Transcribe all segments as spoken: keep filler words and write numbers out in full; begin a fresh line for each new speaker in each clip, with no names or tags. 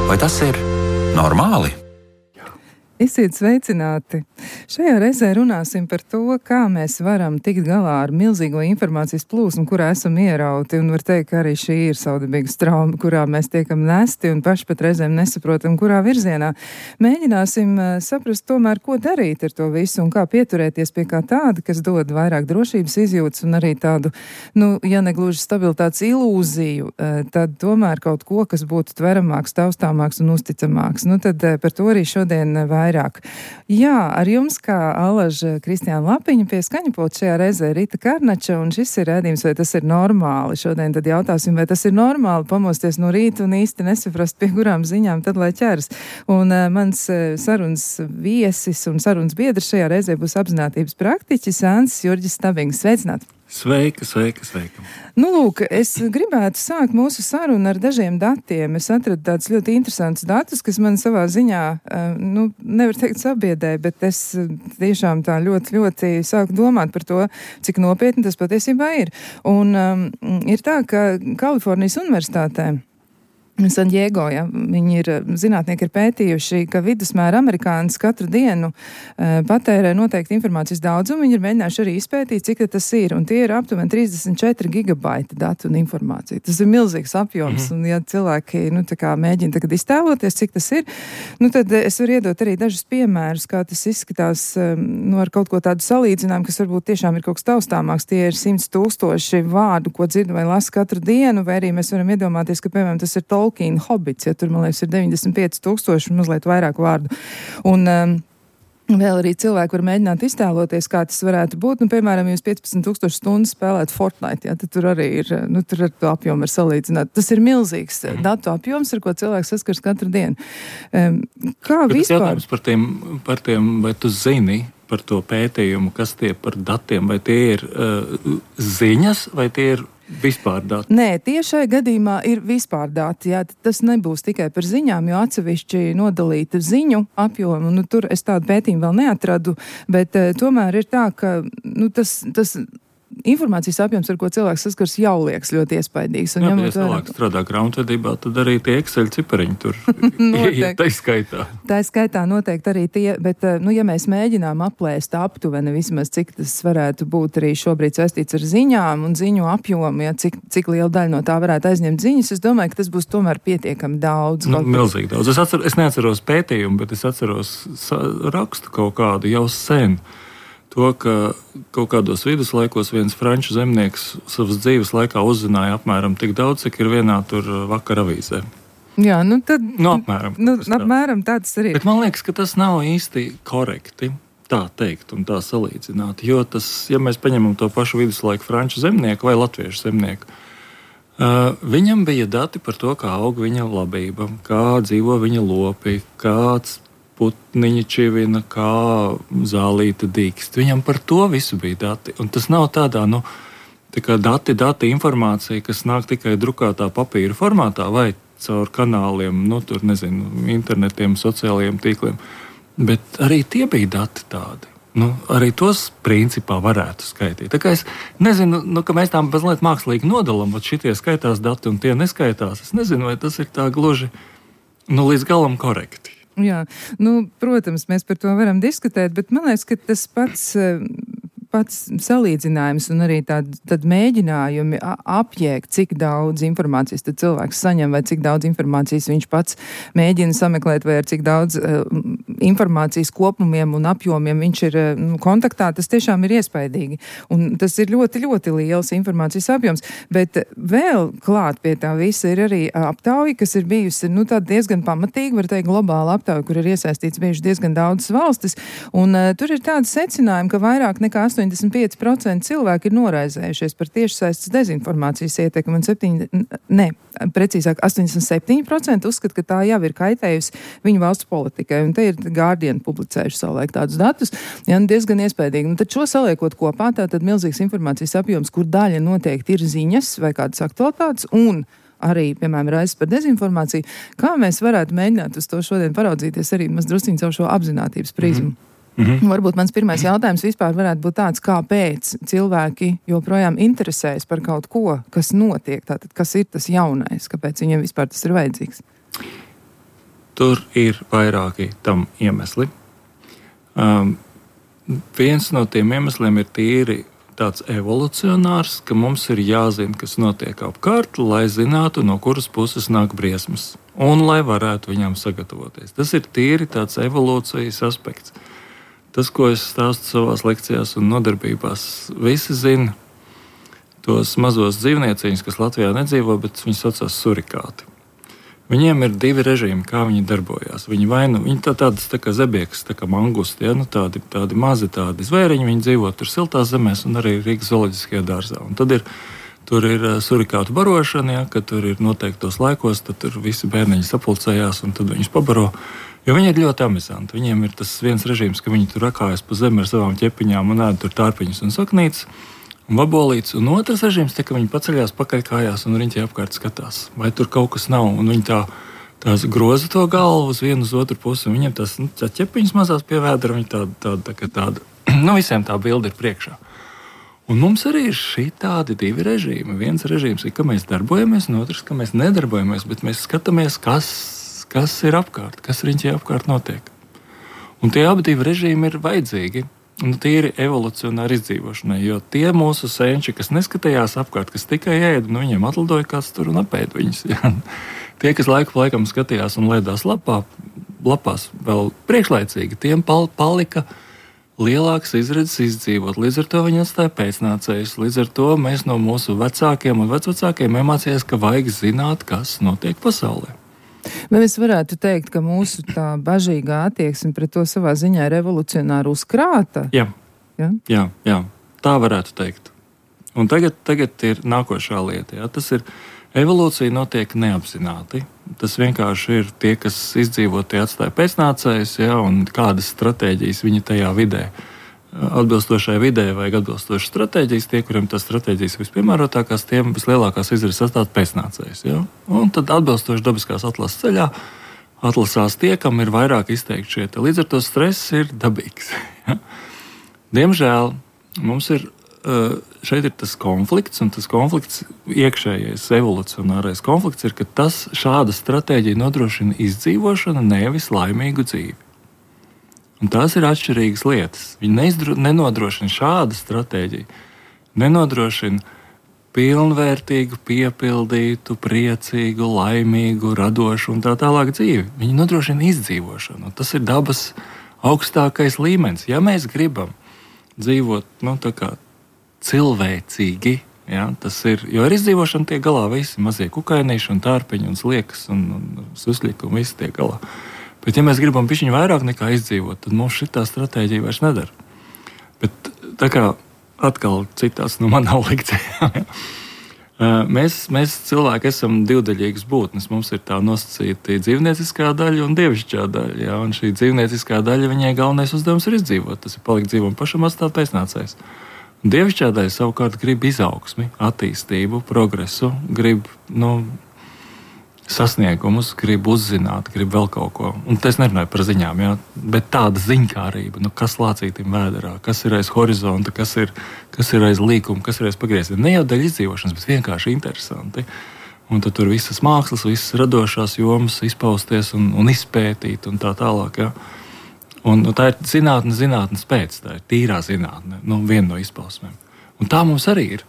Vai tas ir normāli?
Esiet sveicināti! Šajā reizē runāsim par to, kā mēs varam tikt galā ar milzīgo informācijas plūsmu, kurā esam ierauti, un var teikt, ka arī šī ir saudabīga strauma, kurā mēs tiekam nesti un paši pat reizēm nesaprotam, kurā virzienā. Mēģināsim uh, saprast tomēr, ko darīt ar to visu un kā pieturēties pie kā tāda, kas dod vairāk drošības izjūtas un arī tādu, nu, ja negluži stabilitātes ilūziju, uh, tad tomēr kaut ko, kas būtu tveramāks, taustāmāks un uzticamāks. Nu, tad uh, par to arī šodien uh, vairāk. Jā, ar jums kā alaža Kristiāna Lapiņa pie skaņapulta šajā reizē Rita Karnača, un šis ir rādījums, vai tas ir normāli. Šodien tad jautāsim, vai tas ir normāli pamosties no rīta un īsti nesaprast, pie kurām ziņām tad lai ķeras. Un uh, mans uh, sarunas viesis un sarunas biedrs šajā reizē būs apzinātības praktiķis Ansis Jurģis Stabings. Sveicināti!
Sveika, sveika, sveika.
Nu, lūk, es gribētu sākt mūsu sarunu ar dažiem datiem. Es atradu tādus ļoti interesantus datus, kas man savā ziņā, nu, nevar teikt sabiedēja, bet es tiešām tā ļoti, ļoti sāku domāt par to, cik nopietni tas patiesībā ir. Un um, ir tā, ka Kalifornijas universitātē San Diego, ja, viņi ir, zinātnieki ir pētījuši, ka vidusmēra amerikānis katru dienu uh, patērē noteikti informācijas daudzumu, viņi ir mēģinājuši arī izpētīt, cik tas ir, un tie ir aptuveni trīsdesmit četri gigabaiti datu un informācija. Tas ir milzīgs apjoms, mm-hmm. un ja cilvēki, nu, tā kā mēģina tagad iztēloties, cik tas ir, nu, tad es varu iedot arī dažus piemērus, kā tas izskatās, um, nu, ar kaut ko tādu salīdzinājumu, kas varbūt tiešām ir kaut kas taustāmāks. Tie ir simts tūkstoši vārdu, ko dzirdu vai lasu katru dienu, vai arī mēs varam iedomāties, ka, piemēram, tas ir Tolkien Hobits, ja tur, man liekas, ir deviņdesmit pieci tūkstoši un mazliet vairāk vārdu. Un um, vēl arī cilvēki var mēģināt iztēloties, kā tas varētu būt. Nu, piemēram, jūs piecpadsmit tūkstoši stundas spēlēt Fortnite, ja, tad tur arī ir, nu, tur ar to apjomu var salīdzināt. Tas ir milzīgs datu apjoms, ar ko cilvēks saskars katru dienu. Um, kā
Bet
vispār?
Jautājums par tiem, par tiem, vai tu zini par to pētījumu, kas tie par datiem, vai tie ir uh, ziņas, vai tie ir vispār dati?
Nē, tie šai gadījumā ir vispār dati. Jā, tas nebūs tikai par ziņām, jo atsevišķi nodalīta ziņu apjomu. Nu, tur es tādu pētījumu vēl neatradu, bet uh, tomēr ir tā, ka nu, tas, tas informācijas apjoms, ar ko cilvēks saskars, jau liekas ļoti iespaidīgs. Un
Jā,
ja
ja cilvēks strādā grāmatvedībā, tad arī tie Excel cipariņi tur iet tā skaitā.
Tā skaitā noteikti arī tie, bet, nu, ja mēs mēģinām aplēst aptuveni vismaz, cik tas varētu būt arī šobrīd saistīts ar ziņām un ziņu apjomu, ja, cik, cik liela daļa no tā varētu aizņemt ziņas, es domāju, ka tas būs tomēr pietiekami daudz.
Nu, milzīgi daudz. Es, atcer, es neatceros pētījumu, bet es atceros rakstu kaut kādu jau sen. To, ka kaut kādos viduslaikos viens franču zemnieks savas dzīves laikā uzzināja apmēram tik daudz, cik ir vienā tur vakar avīzē.
Jā, nu tad...
Nu, apmēram.
Nu, apmēram tāds arī.
Bet man liekas, ka tas nav īsti korekti tā teikt un tā salīdzināt, jo tas, ja mēs paņemam to pašu viduslaiku franču zemnieku vai latviešu zemnieku, uh, viņam bija dati par to, kā aug viņa labība, kā dzīvo viņa lopi, kāds putniņa čivina, kā zālīta dīkst. Viņam par to visu bija dati. Un tas nav tādā, nu, tā kā dati, dati informācija, kas nāk tikai drukātā papīra formātā vai caur kanāliem, nu, tur, nezinu, internetiem, sociālajiem tīkliem. Bet arī tie bija dati tādi. Nu, arī tos principā varētu skaitīt. Tā kā es nezinu, nu, ka mēs tām mazliet mākslīgi nodalam, bet šitie skaitās dati un tie neskaitās. Es nezinu, vai tas ir tā gluži, nu, līdz galam korekti.
Jā, nu, protams, mēs par to varam diskutēt, bet man liekas, ka tas pats, pats salīdzinājums un arī tād, tad mēģinājumi apjēgt, cik daudz informācijas tad cilvēks saņem vai cik daudz informācijas viņš pats mēģina sameklēt vai ar cik daudz uh, informācijas kopumiem un apjomiem viņš ir uh, kontaktā, tas tiešām ir iespaidīgi. Un tas ir ļoti, ļoti liels informācijas apjoms, bet vēl klāt pie tā visa ir arī aptauja, kas ir bijusi, nu, tā diezgan pamatīgi, var teikt, globāla aptauja, kur ir iesaistīts bijuši diezgan daudzas valstis, un uh, tur ir tāda secinājuma, ka vairāk nekā astoņdesmit pieci procenti cilvēki ir noraizējušies par tiešsaistes dezinformācijas ietekmi, un septiņi, ne, precīzāk, astoņdesmit septiņi procenti uzskata, ka tā jau ir kaitējusi viņu valsts politikai, un te ir Guardian publicējuši savulaik tādus datus, ja, diezgan iespējīgi. Un tad šo saliekot kopā, tā tad milzīgs informācijas apjoms, kur daļa noteikti ir ziņas vai kādas aktualitātes, un arī, piemēram, raizes par dezinformāciju, kā mēs varētu mēģināt uz to šodien paraudzīties arī maz drusciņu caur šo apzinātības prizmu. Mm-hmm. Mm-hmm. Varbūt mans pirmais jautājums vispār varētu būt tāds, kāpēc cilvēki joprojām interesējas par kaut ko, kas notiek, tātad kas ir tas jaunais, kāpēc viņiem vispār tas ir vajadzīgs?
tur ir vairāki tam iemesli. Um, viens no tiem iemesliem ir tīri tāds evolucionārs, ka mums ir jāzina, kas notiek apkārt, lai zinātu, no kuras puses nāk briesmas, un lai varētu viņam sagatavoties. Tas ir tīri tāds evolūcijas aspekts. Tas, ko es stāstu savās lekcijās un nodarbībās, visi zina tos mazos dzīvnieciņus, kas Latvijā nedzīvo, bet viņi saucās surikāti. Viņiem ir divi režīmi, kā viņi darbojās. Viņi vai nu, viņi tā, tādas tā kā zebiekas, tā kā mangusti, ja? Nu, tādi, tādi mazi tādi zvēriņi, viņi dzīvo tur siltās zemēs un arī Rīgas zooloģiskajā dārzā. Un tad ir, tur ir surikātu barošana, ja? Kad tur ir noteiktos laikos, tad tur visi bērniņi sapulcējās un tad viņus pabaro. Jo viņi ir ļoti amizanti. Viņiem ir tas viens režīms, ka viņi tur rakājas pa zemi ar savām ķepiņām un ēd tur tārpiņus un saknītes. Un vabolīts, un otrs režīms, te, ka viņi paceļās pakaļkājās un riņķī apkārt skatās, vai tur kaut kas nav. Un viņi tā, tās groza to galvu uz vienu uz otru pusi, un viņiem tās nu, tā ķepiņas mazās pie vēdra, viņi tāda, tāda, tā, tāda, nu visiem tā bilde ir priekšā. Un mums arī ir šī tādi divi režīmi. Viens režīms ir, ka mēs darbojamies, un otrs, ka mēs nedarbojamies, bet mēs skatāmies, kas, kas ir apkārt, kas riņķī apkārt notiek. Un tie abi divi režīmi ir vajadzīgi. Nu, tīri evolucionāri izdzīvošanai, jo tie mūsu senči, kas neskatījās apkārt, kas tikai ēda, nu viņiem atlidoja kāds tur un apēda viņus. Ja? Tie, kas laiku laikam skatījās un lēdās lapā, lapās vēl priekšlaicīgi, tiem pal- palika lielāks izredzes izdzīvot. Līdz ar to viņi atstāja pēcnācējus. Līdz ar to mēs no mūsu vecākiem un vecvecākiem iemācījās, ka vajag zināt, kas notiek pasaulē.
Vai mēs varētu teikt, ka mūsu tā bažīgā attieksme pret to savā ziņā ir evolucionāri uzkrāta?
Jā,
ja?
jā, jā, tā varētu teikt. Un tagad, tagad ir nākošā lieta. Jā. Tas ir, evolūcija notiek neapzināti. Tas vienkārši ir tie, kas izdzīvo, tie atstāja pēcnācējus, jā, un kādas stratēģijas viņi tajā vidē. Atbilstošai vidē vajag atbilstošas stratēģijas, tie, kuriem tās stratēģijas vispiemērotākās, tiem vislielākās izredzes atstāt pēcnācējus. Ja? Un tad atbilstoši dabiskās atlases ceļā atlasās tie, kam ir vairāk izteikti šie. Līdz ar to stress ir dabīgs. Ja? Diemžēl mums ir, šeit ir tas konflikts, un tas konflikts iekšējais evolucionārais konflikts ir, ka tas šāda stratēģija nodrošina izdzīvošanu, nevis laimīgu dzīvi. Un tās ir atšķirīgas lietas. Viņi neizdro, nenodrošina šādu stratēģiju, nenodrošina pilnvērtīgu, piepildītu, priecīgu, laimīgu, radošu un tā tālāk dzīvi. Viņi nodrošina izdzīvošanu. Tas ir dabas augstākais līmenis. Ja mēs gribam dzīvot nu, tā kā cilvēcīgi, ja, tas ir, jo ar izdzīvošanu tiek galā visi mazie kukainīši un tārpiņi un sliekas un, un susļiki un visi tiek galā. Bet, ja mēs gribam pišķiņu vairāk nekā izdzīvot, tad mums šitā stratēģija vairs nedara. Bet tā kā atkal citās no manām lekcijām, ja, mēs, mēs cilvēki esam divdaļīgas būtnes. Mums ir tā nosacīta dzīvnieciskā daļa un dievišķā daļa. Ja, un šī dzīvnieciskā daļa, viņai galvenais uzdevums ir izdzīvot. Tas ir palikt dzīvam pašam atstāt pēcnācējs. Dievišķā daļa savukārt grib izaugsmi, attīstību, progresu, grib, nu, sasniegumus, grib uzzināt, grib vēl kaut ko. Un es nerunāju par ziņām, jā, bet tāda ziņkārība, nu, kas lācītim vēderā, kas ir aiz horizonta, kas ir, kas ir aiz līkuma, kas ir aiz pagrieziena. Ne jau dēļ izdzīvošanas, bet vienkārši interesanti. Un tad tur visas mākslas, visas radošās jomas izpausties un, un izpētīt un tā tālāk. Jā. Un, un tā ir zinātne, zinātnes pēc, tā ir tīrā zinātne, nu, viena no izpausmēm. Un tā mums arī ir.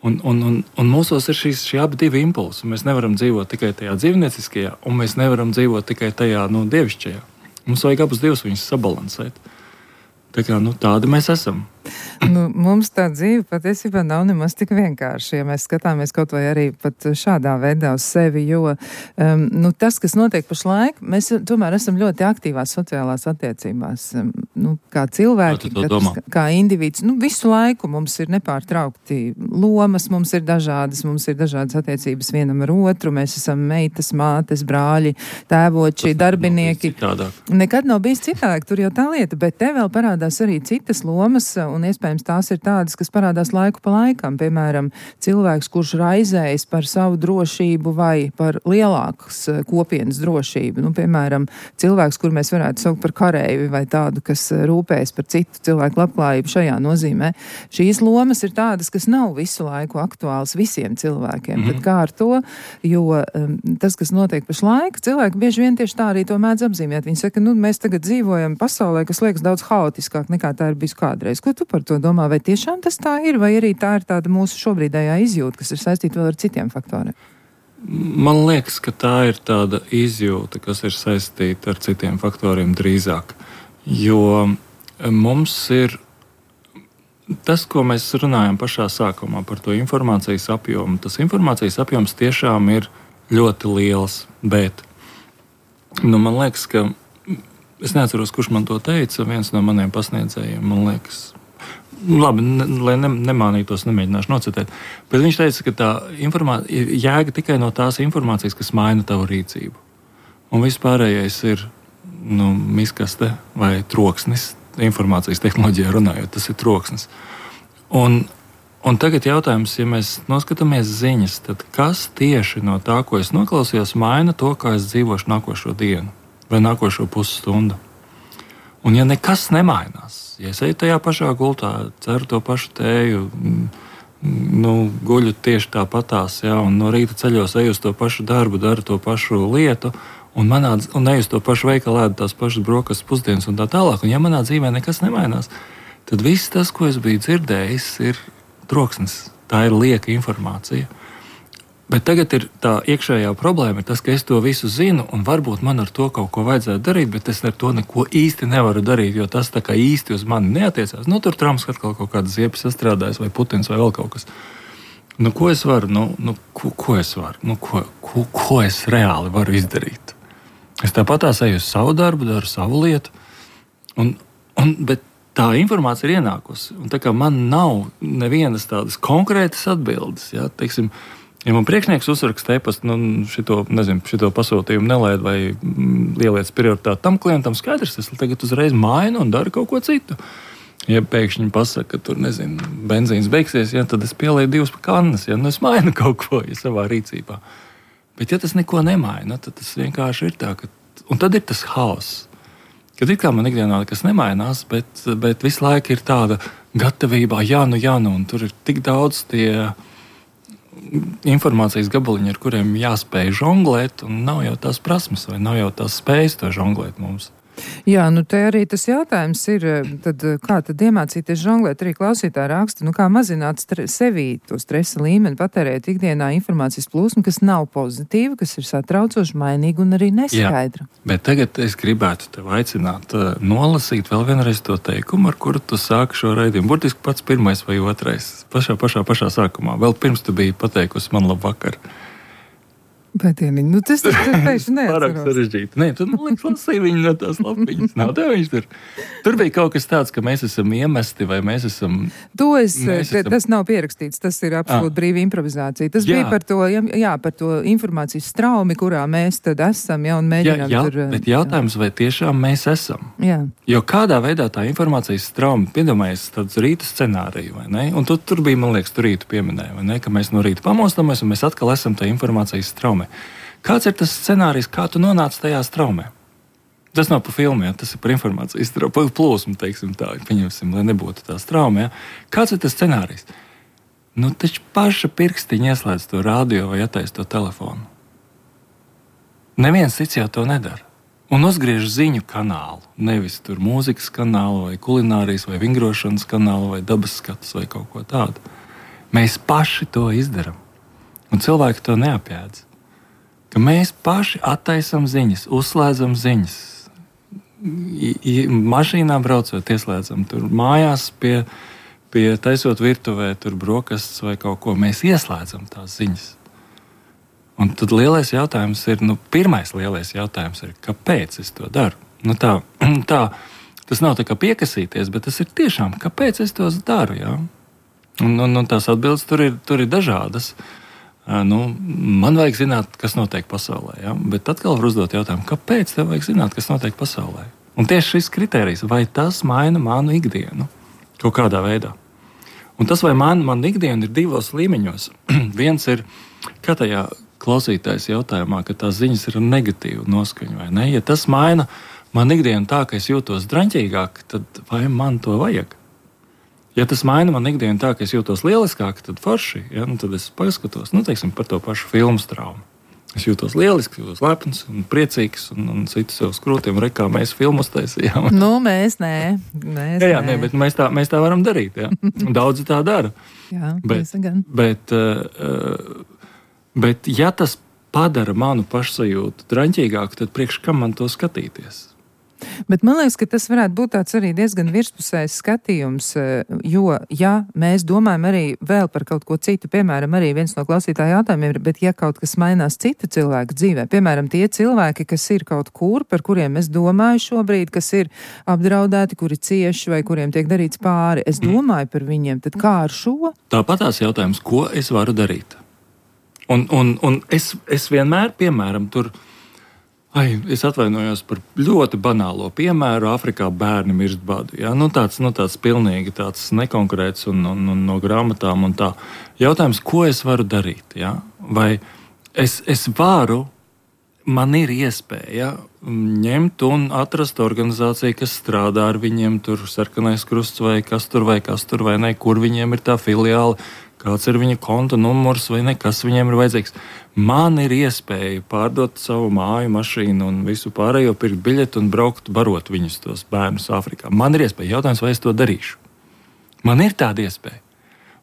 Un, un, un, un mūsos ir šīs, šie abi divi impulsi. Mēs nevaram dzīvot tikai tajā dzīvnieciskajā, un mēs nevaram dzīvot tikai tajā nu, dievišķajā. Mums vajag abus divus viņus sabalansēt. Tā kā, nu, tādi mēs esam.
Nu, mums tā dzīve patiesībā nav nemaz tik vienkārši, ja mēs skatāmies kaut vai arī pat šādā veidā uz sevi, jo um, nu, tas, kas notiek pašlaik, mēs tomēr esam ļoti aktīvās sociālās attiecībās. Um, nu, kā cilvēki, katrs, kā indivīds, nu, visu laiku mums ir nepārtraukti lomas, mums ir dažādas, mums ir dažādas attiecības vienam ar otru, mēs esam meitas, mātes, brāļi, tēvoči, darbinieki.
Nav
Nekad nav bijis citādāk, tur jau tā lieta, bet te vēl parādās arī citas lomas, un un iespējams tās ir tādas, kas parādās laiku pa laikam. Piemēram, cilvēks, kurš raizējas par savu drošību vai par lielākas kopienas drošību. Nu, piemēram, cilvēks, kur mēs varētu saukt par kareivi vai tādu, kas rūpējas par citu cilvēku labklājību šajā nozīmē. Šīs lomas ir tādas, kas nav visu laiku aktuāls visiem cilvēkiem. Mm. Bet kā ar to, jo um, tas, kas notiek pašlaik, cilvēki bieži vien tieši tā arī to mēdz apzīmēt. Viņi saka, nu, mēs tagad dzīvojam pasaulē, kas liekas daudz haotiskāk nekā tā ir bijis kādreiz. Ko tu par to domā? Vai tiešām tas tā ir, vai arī tā ir tāda mūsu šobrīdējā izjūta, kas ir saistīta vēl ar citiem faktoriem?
Man liekas, ka tā ir tāda izjūta, kas ir saistīta ar citiem faktoriem drīzāk. Jo mums ir tas, ko mēs runājam pašā sākumā par to informācijas apjomu. Tas informācijas apjoms tiešām ir ļoti liels, bet nu, man liekas, ka es neatceros, kurš man to teica, viens no maniem pasniedzējiem, man liekas, labi, ne, lai ne, nemānītos, nemēģināšu nocitēt, bet viņš teica, ka tā informācija ir jēga tikai no tās informācijas, kas maina tavu rīcību. Un viss pārējais ir nu, miskaste vai troksnis, informācijas tehnoloģijā runājot, tas ir troksnis. Un, un tagad jautājums, ja mēs noskatāmies ziņas, tad kas tieši no tā, ko es noklausījos, maina to, kā es dzīvošu nākošo dienu vai nākošo pusstundu. Un ja nekas nemainās, ja es eju tajā pašā gultā, ceru to pašu tēju, nu, guļu tieši tāpatās, ja, un no rīta ceļos eju uz to pašu darbu, daru to pašu lietu, un, manā, un eju uz to pašu veikalu, ēdu tās pašas brokastis pusdienas un tā tālāk, un ja manā dzīvē nekas nemainās, tad viss tas, ko es biju dzirdējis, ir troksnis. Tā ir lieka informācija. Bet tagad ir tā iekšējā problēma, ir tas, ka es to visu zinu, un varbūt man ar to kaut ko vajadzētu darīt, bet es ar to neko īsti nevaru darīt, jo tas tā kā īsti uz mani neatiecās. Nu, tur Trumps atkal kaut kādas ziepes sastrādājas, vai Putins, vai vēl kaut kas. Nu, ko es varu? Nu, nu ko, ko es varu? Nu, ko, ko, ko es reāli varu izdarīt? Es tāpatās eju uz savu darbu, daru savu lietu, un, un, bet tā informācija ir ienākusi. Un tā kā man nav nevienas tādas konkrētas atbildes, ja, teiksim, ja man priekšnieks uzraksta e-pastu, nu, šito, nezinu, šito pasūtījumu nelaid vai ieliec prioritāti tam klientam, skaidrs, es tagad uzreiz mainu un daru kaut ko citu. Ja pēkšņi pasaka, ka tur, nezinu, benzīns beigsies, ja, tad es pielieku divas kannas, ja, nu es mainu kaut ko ja, savā rīcībā. Bet ja tas neko nemaina, tad tas vienkārši ir tā, ka, un tad ir tas haoss. Kad it kā man ikdienā nekas nemainās, bet, bet visu laiku ir tāda gatavībā, jā, nu, jā, nu, un tur ir tik daudz tie informācijas gabaliņi, ar kuriem jāspēj žonglēt, un nav jau tās prasmes, vai nav jau tās spējas to žonglēt mums.
Jā, nu te arī tas jautājums ir, tad kā tad iemācīties žonglēt, arī klausītāji raksta, nu kā mazināt stre- sevī to stresa līmeni, patērēt ikdienā informācijas plūsmu, kas nav pozitīva, kas ir satraucoši, mainīga un arī neskaidra. Jā,
bet tagad es gribētu tev aicināt uh, nolasīt vēl vienreiz to teikumu, ar kuru tu sāki šo raidījumu. Burtiski pats pirmais vai otrais, pašā, pašā, pašā sākumā. Vēl pirms tu biji pateikusi man labvakar.
Bet, ja, nu, tas ir pēkšņi neatceros.
Pārāk sarežģīti. Nē, tad man liekas, lasīja viņu no tās lapiņas. Nav tev viņš tur. Tur bija kaut kas tāds, ka mēs esam iemesti vai mēs esam...
To es,
mēs
te,
esam...
tas nav pierakstīts, tas ir absolūti brīva improvizācija. Tas
Jā.
bija par to, jā, par to informācijas straumi, kurā mēs tad esam, ja, un mēģinām
jā, jā,
tur...
Bet jautājums, vai tiešām mēs esam?
Jā.
Jo kādā veidā tā informācijas strauma, piedomājies tāds rīta scenāriju, vai ne? Un tu, tur bija, man liekas, tu rītu pieminēja, vai ne? Ka mēs no rīta pamostamies un mēs atkal esam tā informācijas straumē. Kāds ir tas scenārijs, kā tu nonāc tajā straumē? Tas nav par filmu, ja? Tas ir par informācijas plūsmu, teiksim tā, pieņemsim, lai nebūtu tā strauma. Ja? Kāds ir tas scenārijs? Nu, taču paša pirkstiņa ieslēdz to radio vai attaisa to telefonu. Neviens cits jau to nedara. Un uzgriež ziņu kanālu, nevis tur mūzikas kanālu vai kulinārijas vai vingrošanas kanālu vai dabas skatus vai kaut ko tādu. Mēs paši to izdaram. Un cilvēki to neapjēdz. Ka mēs paši attaisam ziņas, uzslēdzam ziņas. I, i, mašīnā braucot, ieslēdzam tur mājās, pie, pie taisot virtuvē, tur brokastis vai kaut ko. Mēs ieslēdzam tās ziņas. Un tad lielais jautājums ir, nu, pirmais lielais jautājums ir, kāpēc es to daru? Nu, tā, tā, tas nav tā kā piekasīties, bet tas ir tiešām, kāpēc es to daru, jā? Un, un, un tās atbildes tur ir, tur ir dažādas. Nu, man vajag zināt, kas notiek pasaulē. Ja? Bet atkal var uzdot jautājumu, kāpēc tev vajag zināt, kas notiek pasaulē? Un tieši šis kriterijs, vai tas maina manu ikdienu? kaut kādā veidā. Un tas, vai man, man ikdiena ir divos līmeņos. Viens ir, kā tajā klausītājs jautājumā, ka tās ziņas ir negatīva noskaņa, vai ne? Ja tas maina man ikdienu tā, ka es jūtos draņķīgāk, tad vai man to vajag? Ja tas maina man ikdienu tā, ka es jūtos lieliskāk, tad forši, ja? Nu, tad es paskatos, nu, teiksim, par to pašu filmu traumu. Es jūtos lieliski, jūtos lepns un priecīgs un, un citu sev skrūtiem, re, kā mēs filmu uztaisījām.
Nu, mēs nē. Mēs
jā, jā,
nē.
nē, bet mēs tā, mēs tā varam darīt, jā. Daudzi tā dara.
Jā,
bet,
gan.
Bet, uh, bet, ja tas padara manu pašsajūtu draņķīgāku, tad priekš kam man to skatīties?
Bet man liekas, ka tas varētu būt tāds arī diezgan virspusējs skatījums, jo, ja mēs domājam arī vēl par kaut ko citu, piemēram, arī viens no klausītāju jautājumiem ir, bet ja kaut kas mainās citu cilvēku dzīvē, piemēram, tie cilvēki, kas ir kaut kur, par kuriem es domāju šobrīd, kas ir apdraudēti, kuri cieši vai kuriem tiek darīts pāri, es domāju par viņiem, tad kā ar šo?
Tāpatās jautājums, ko es varu darīt? Un, un, un es, es vienmēr, piemēram, tur Ai, es atvainojos par ļoti banālo piemēru. Āfrikā bērni mirst badu. Ja? Nu, tāds, nu, tāds pilnīgi tāds nekonkrēts un, un, un no grāmatām. Un tā. Jautājums, ko es varu darīt? Ja? Vai es, es varu, man ir iespēja ņemt un atrast organizāciju, kas strādā ar viņiem, tur Sarkanais Krusts vai kas tur vai kas tur vai ne, kur viņiem ir tā filiāla, kāds ir viņa konta numurs vai ne, kas viņiem ir vajadzīgs. Man ir iespēja pārdot savu māju, mašīnu un visu pārējo, pirkt biļeti un braukt, barot viņus tos bērnus Āfrikā. Man ir iespēja. Jautājums, vai es to darīšu? Man ir tāda iespēja.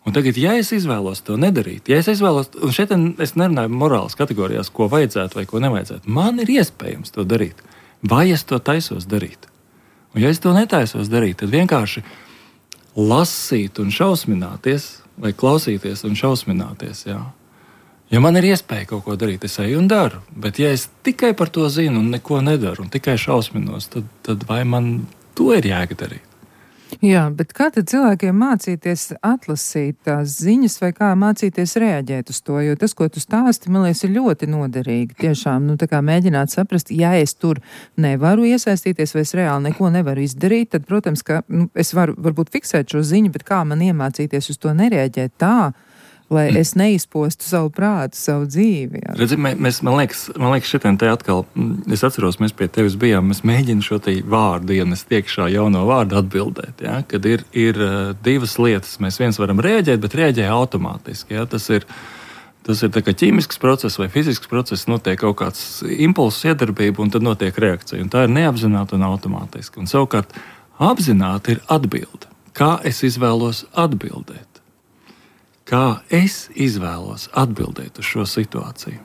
Un tagad, ja es izvēlos to nedarīt, ja es izvēlos, un šeit es nerunāju morālas kategorijās, ko vajadzētu vai ko nevajadzētu, man ir iespējams to darīt. Vai es to taisos darīt? Un ja es to netaisos darīt, tad vienkārši lasīt un šausmināties, vai klausīties un šausmināties, jā. Ja man ir iespēja kaut ko darīt, es eju un daru. Bet ja es tikai par to zinu un neko nedaru un tikai šausminos, tad, tad vai man to ir jēga darīt?
Jā, bet kā tad cilvēkiem mācīties atlasīt tās ziņas vai kā mācīties reaģēt uz to? Jo tas, ko tu stāsti, man liekas, ir ļoti noderīgi. Tiešām, nu tā kā mēģināt saprast, ja es tur nevaru iesaistīties vai es reāli neko nevaru izdarīt, tad, protams, ka nu, es varu varbūt fiksēt šo ziņu, bet kā man iemācīties uz to nereaģēt tā, lai es neizpostu savu prātu, savu dzīvi. Jā.
Redzi, mēs, man liekas, man liekas šitien te atkal, es atceros, mēs pie tevis bijām, mēs mēģinām šo te vārdu ienest iekšā, jauno vārdu atbildēt, ja? Kad ir, ir divas lietas, mēs viens varam rēģēt, bet rēģē automātiski, ja? Tas ir, tas ir tā kā ķīmisks process vai fizisks process, notiek kaut kāds impulss iedarbība un tad notiek reakcija, un tā ir neapzināta un automātiski. Un savukārt apzināti ir atbilde. Kā es izvēlos atbildēt? Kā es izvēlos atbildēt uz šo situāciju.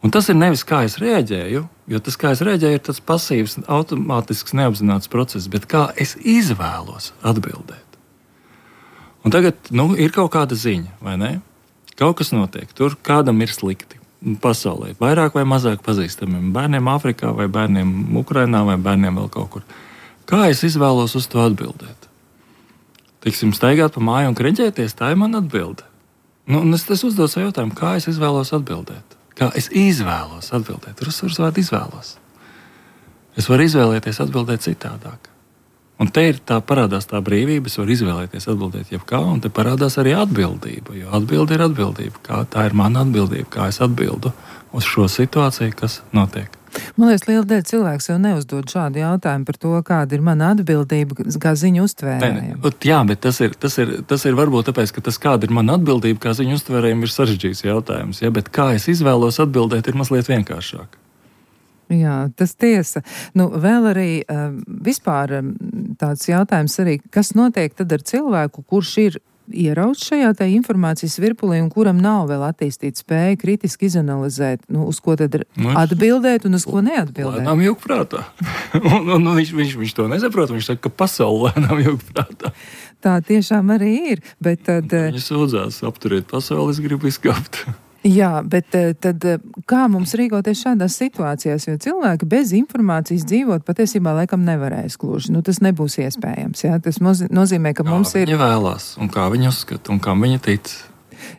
Un tas ir nevis kā es reaģēju, jo tas, kā es reaģēju, ir tāds pasīvs, automātisks, neapzināts process, bet kā es izvēlos atbildēt. Un tagad nu, ir kaut kāda ziņa, vai ne? Kaut kas notiek, tur kādam ir slikti pasaulē, vairāk vai mazāk pazīstamiem bērniem Āfrikā vai bērniem Ukrainā vai bērniem vēl kaut kur. Kā es izvēlos uz to atbildēt? Tiksim, staigāt pa māju un kreņķēties, tā ir mana atbilde. Nu, es, es uzdodu savu jautājumu, kā es izvēlos atbildēt. Kā es izvēlos atbildēt? Tur uzsvars vārdu izvēlos. Es varu izvēlēties atbildēt citādāk. Un te ir tā parādās tā brīvība, es varu izvēlēties atbildēt jebkā, un te parādās arī atbildība, jo atbilde ir atbildība. Kā tā ir mana atbildība, kā es atbildu uz šo situāciju, kas notiek.
Man liekas, liela daļa cilvēks jau neuzdod šādu jautājumu par to, kāda ir mana atbildība, kā ziņu uztvērējiem.
Jā, bet tas ir, tas, ir, tas ir varbūt tāpēc, ka tas, kāda ir mana atbildība, kā ziņu uztvērējiem, ir sarežģīts jautājums. Ja? Bet kā es izvēlos atbildēt, ir mazliet vienkāršāk.
Jā, tas tiesa. Nu, vēl arī uh, vispār um, tāds jautājums arī, kas notiek tad ar cilvēku, kurš ir ierauts šajā tā informācijas virpulī un kuram nav vēl attīstīta spēja kritiski izanalizēt, nu, uz ko tad nu, atbildēt un uz ko neatbildēt.
Lēnām jūg prātā. un, un, un viņš, viņš, viņš to nesaprot, viņš saka, ka pasauli lēnām jūg prātā.
Tā tiešām arī ir, bet tad...
Viņi sūdzās, apturiet pasauli, es gribu izkāpt.
Jā, bet tad kā mums rīkoties šādās situācijās, jo cilvēki bez informācijas dzīvot patiesībā laikam nevarēs gluži. Nu, tas nebūs iespējams, jā. Tas nozīmē, ka
kā
mums ir...
Kā viņi vēlās, un kā viņi uzskata, un kam viņi tic.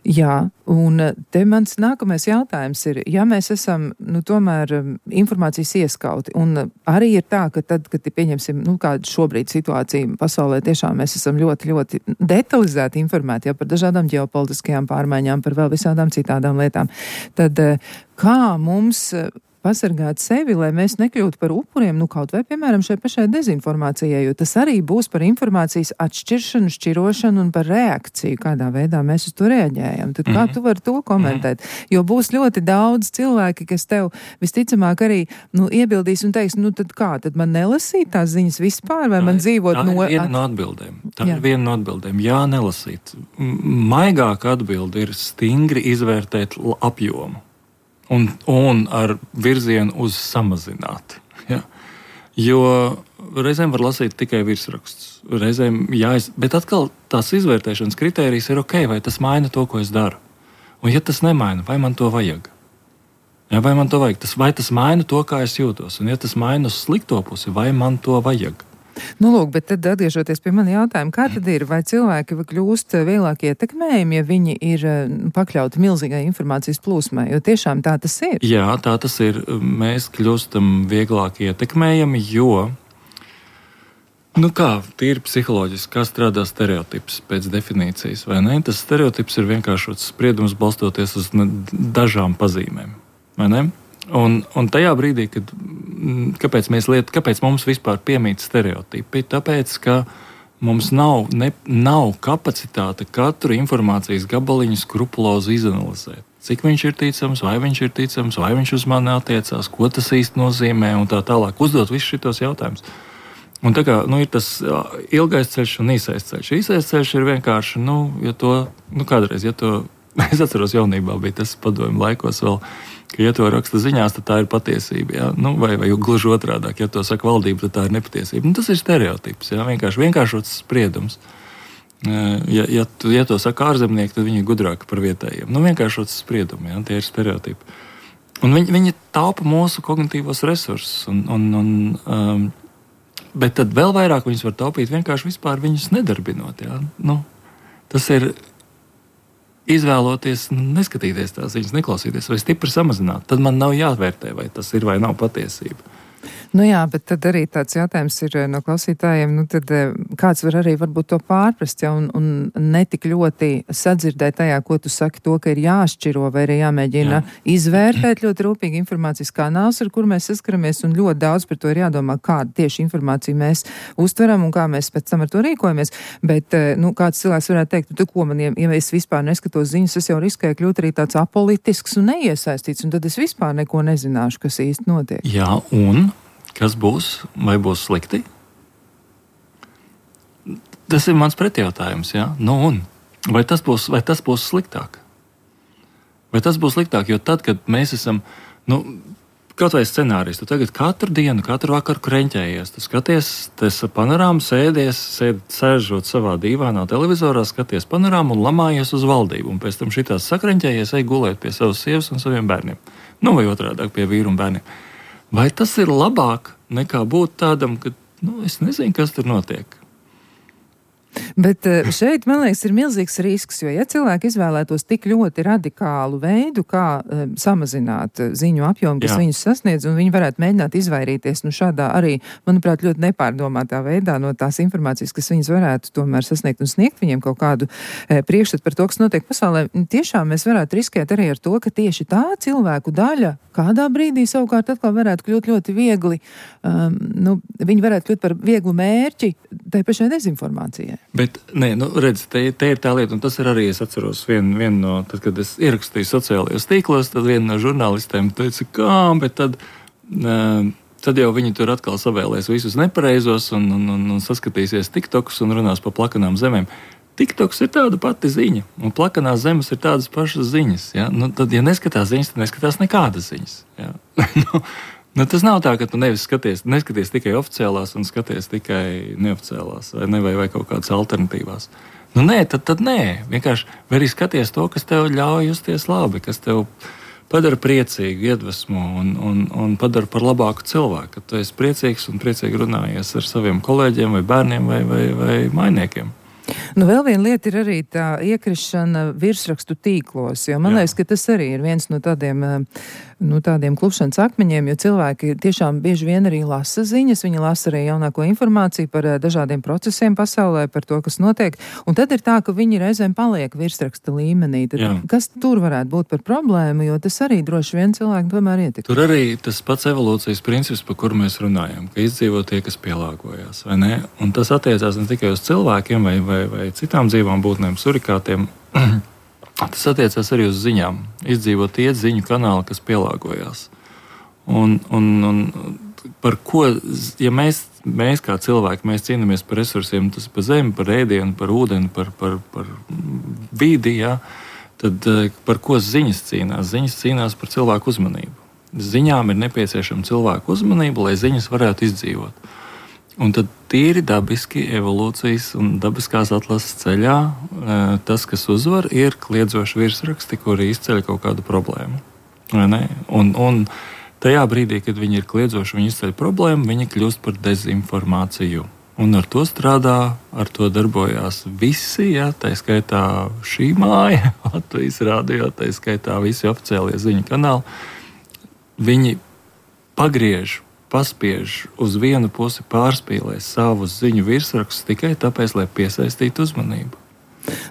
Jā, un te mans nākamais jautājums ir, ja mēs esam, nu, tomēr informācijas ieskauti, un arī ir tā, ka tad, kad pieņemsim, nu, kāda šobrīd situācija pasaulē, tiešām mēs esam ļoti, ļoti detalizēti informēti jau par dažādām ģeopolitiskajām pārmaiņām, par vēl visādām citādām lietām, tad kā mums pasargāt sevi, lai mēs nekļūtu par upuriem, nu kaut vai, piemēram, šai pašai dezinformācijai, jo tas arī būs par informācijas atšķiršanu, šķirošanu un par reakciju, kādā veidā mēs uz to reaģējam. Tad kā mm-hmm. tu vari to komentēt? Mm-hmm. Jo būs ļoti daudz cilvēki, kas tev visticamāk arī, nu, iebildīs un teiks, nu tad kā, tad man nelasīt tās ziņas vispār, vai tā man dzīvot
tā
no...
Tā ir viena no atbildēm. Tā Jā. ir viena no atbildēm. Jā, nelasīt. Maigāka atbilde ir stingri izvērtēt apjomu. Un, un ar virzienu uz samazināti. Ja? Jo reizēm var lasīt tikai virsrakstus. Reizēm jāiz... Bet atkal tās izvērtēšanas kritērijas ir ok, vai tas maina to, ko es daru. Un ja tas nemaina, vai man to vajag? Ja, vai man to vajag? Tas, vai tas maina to, kā es jūtos? Un ja tas maina uz slikto pusi, vai man to vajag?
Nu, lūk, bet tad atgriežoties pie mani jautājumu, kā tad ir, vai cilvēki kļūst vieglāk ietekmējumi, ja viņi ir pakļauti milzīgai informācijas plūsmai, jo tiešām tā tas ir?
Jā, tā tas ir. Mēs kļūstam vieglāk ietekmējami, jo, nu kā, tīri psiholoģiski, kā strādā stereotips pēc definīcijas, vai ne? Tas stereotips ir vienkāršots spriedums balstoties uz dažām pazīmēm, vai ne? Un, un tajā brīdī, kad kāpēc, mēs liet, kāpēc mums vispār piemīt stereotipi? Tāpēc, ka mums nav, ne, nav kapacitāte katru informācijas gabaliņu skrupulozi izanalizēt. Cik viņš ir ticams, vai viņš ir ticams, vai viņš uz mani attiecās, ko tas īsti nozīmē un tā tālāk. Uzdot visus šitos jautājumus. Un tā kā, nu, ir tas ilgais ceļš un īsais ceļš. Īsais ceļš ir vienkārši, nu, ja to, nu, kādreiz, ja to, es atceros jaunībā, bija tas padomju laikos vēl, ka, ja to raksta ziņās, tad tā ir patiesība. Ja? Nu, vai, vai gluži otrādāk, ja to saka valdība, tad tā ir nepatiesība. Nu, tas ir stereotips, ja? Vienkārši vienkāršots spriedums. Ja, ja, tu, ja to saka ārzemnieki, tad viņi ir gudrāki par vietējiem. Nu, vienkāršots spriedumi, ja? Tie ir stereotipi. Un viņi, viņi taupa mūsu kognitīvos resursus. Un, un, un, um, bet tad vēl vairāk viņus var taupīt vienkārši vispār viņus nedarbinot. Ja? Nu, tas ir... Izvēloties, neskatīties tās ziņas, neklausīties vai stipri samazināt, tad man nav jāvērtē, vai tas ir vai nav patiesība.
Nu jā, bet tad arī tāds jautājums ir no klausītājiem, nu tad kāds var arī varbūt to pārprast, ja, un, un netik ļoti sadzirdēt tajā, ko tu saki, to, ka ir jāšķiro vai arī jāmēģina Jā. izvērtēt ļoti rūpīgi informācijas kanāls, ar kur mēs saskaramies, un ļoti daudz par to ir jādomā, kādu tieši informāciju mēs uztveram un kā mēs pēc tam ar to rīkojamies. Bet, nu, kāds cilvēks varētu teikt, tu ko man, ja es vispār neskatos ziņas, es jau riskēju kļūt arī tāds apolitisks un neiesaistīts, un tad es vispār neko nezināšu, kas īsti notiek.
Jā, un kas būs, vai būs slikti? Tas ir mans pretjautājums, jā? Nu un? Vai tas būs, vai tas būs sliktāk? Vai tas būs sliktāk, jo tad, kad mēs esam, nu, kaut vai scenārijs, tu tagad katru dienu, katru vakaru kreņķējies, tu skaties, tas panorāmu sēdies, sēd, sēžot savā dīvānā televizorā, skaties panorāmu un lamājies uz valdību, un pēc tam šitās sakreņķējies, ej gulēt pie savas sievas un saviem bērniem. Nu, vai otrādāk pie vīru un bērniem. Vai tas ir labāk nekā būt tādam, ka, nu, es nezinu, kas tur notiek?
Bet šeit, man liekas, ir milzīgs risks, jo ja cilvēki izvēlētos tik ļoti radikālu veidu, kā um, samazināt ziņu apjomu, kas Jā. viņus sasniedz, un viņi varētu mēģināt izvairīties, nu šādā arī, manuprāt, ļoti nepārdomātā veidā no tās informācijas, kas viņus varētu tomēr sasniegt un sniegt viņiem kaut kādu e, priekšstatu par to, kas notiek pasaulē. Tiešām mēs varētu riskēt arī ar to, ka tieši tā cilvēku daļa kādā brīdī savukārt atkal varētu kļūt ļoti viegli, um, nu, viņi varētu kļūt par vieglu mērķi tai pašai dezinformācijai.
Bet, nē, nu, redz, te, te ir tā lieta, un tas ir arī, es atceros vienu, vienu no, tad, kad es ierakstīju sociālajos tīklos, tad viena no žurnālistēm teica, kā, bet tad, uh, tad jau viņi tur atkal savēlēs visus nepareizos un, un, un, un saskatīsies tiktokus un runās pa plakanām zemēm. TikToks ir tāda pati ziņa, un plakanās zemes ir tādas pašas ziņas. Ja? Nu, tad, ja neskatās ziņas, tad neskatās nekādas ziņas. Ja? nu, nu, tas nav tā, ka tu nevis skaties, neskaties tikai oficiālās un skaties tikai neoficiālās vai, ne, vai, vai kaut kādas alternatīvās. Nu, nē, tad, tad nē. Vienkārši vai arī skaties to, kas tev ļauj justies labi, kas tev padara priecīgu, iedvesmo un, un, un padara par labāku cilvēku. Ka tu esi priecīgs un priecīgi runājies ar saviem kolēģiem vai bērniem vai, vai, vai mainiekiem.
Nu, vēl viena lieta ir arī tā iekrišana virsrakstu tīklos, jo man liekas, ka tas arī ir viens no tādiem, nu, tādiem klupšanas akmeņiem, jo cilvēki tiešām bieži vien arī lasa ziņas, viņi lasa arī jaunāko informāciju par dažādiem procesiem pasaulē, par to, kas notiek, un tad ir tā, ka viņi reizēm paliek virsraksta līmenī. Tad, kas tur varētu būt par problēmu, jo tas arī droši vien cilvēki tomēr ietekmē.
Tur arī tas pats evolūcijas princips, par kuru mēs runājam, ka izdzīvo tie, kas pielāgojās, vai ne? Un tas attiecās ne tikai uz cilvēkiem vai, vai, vai citām dzīvām būtnēm, surikātiem. Tas attiecās arī uz ziņām. Izdzīvo tie ziņu kanāli, kas pielāgojās. Un, un, un par ko, ja mēs, mēs kā cilvēki, mēs cīnāmies par resursiem, tas par zemi, par ēdienu, par ūdeni, par, par, par vidi, jā, tad par ko ziņas cīnās? Ziņas cīnās par cilvēku uzmanību. Ziņām ir nepieciešama cilvēku uzmanība, lai ziņas varētu izdzīvot. Un tad tīri dabiski evolūcijas un dabiskās atlases ceļā tas, kas uzvar, ir kliedzoši virsraksti, kuri izceļ kaut kādu problēmu. Un, un tajā brīdī, kad viņi ir kliedzoši, viņi izceļ problēmu, viņi kļūst par dezinformāciju. Un ar to strādā, ar to darbojās visi, ja, tā skaitā šī māja, Latvijas radio, tā skaitā visi oficiālie ziņu kanāli. Viņi pagriež, paspiež uz vienu pusi, pārspīlē savus ziņu virsrakstus tikai tāpēc, lai piesaistītu uzmanību.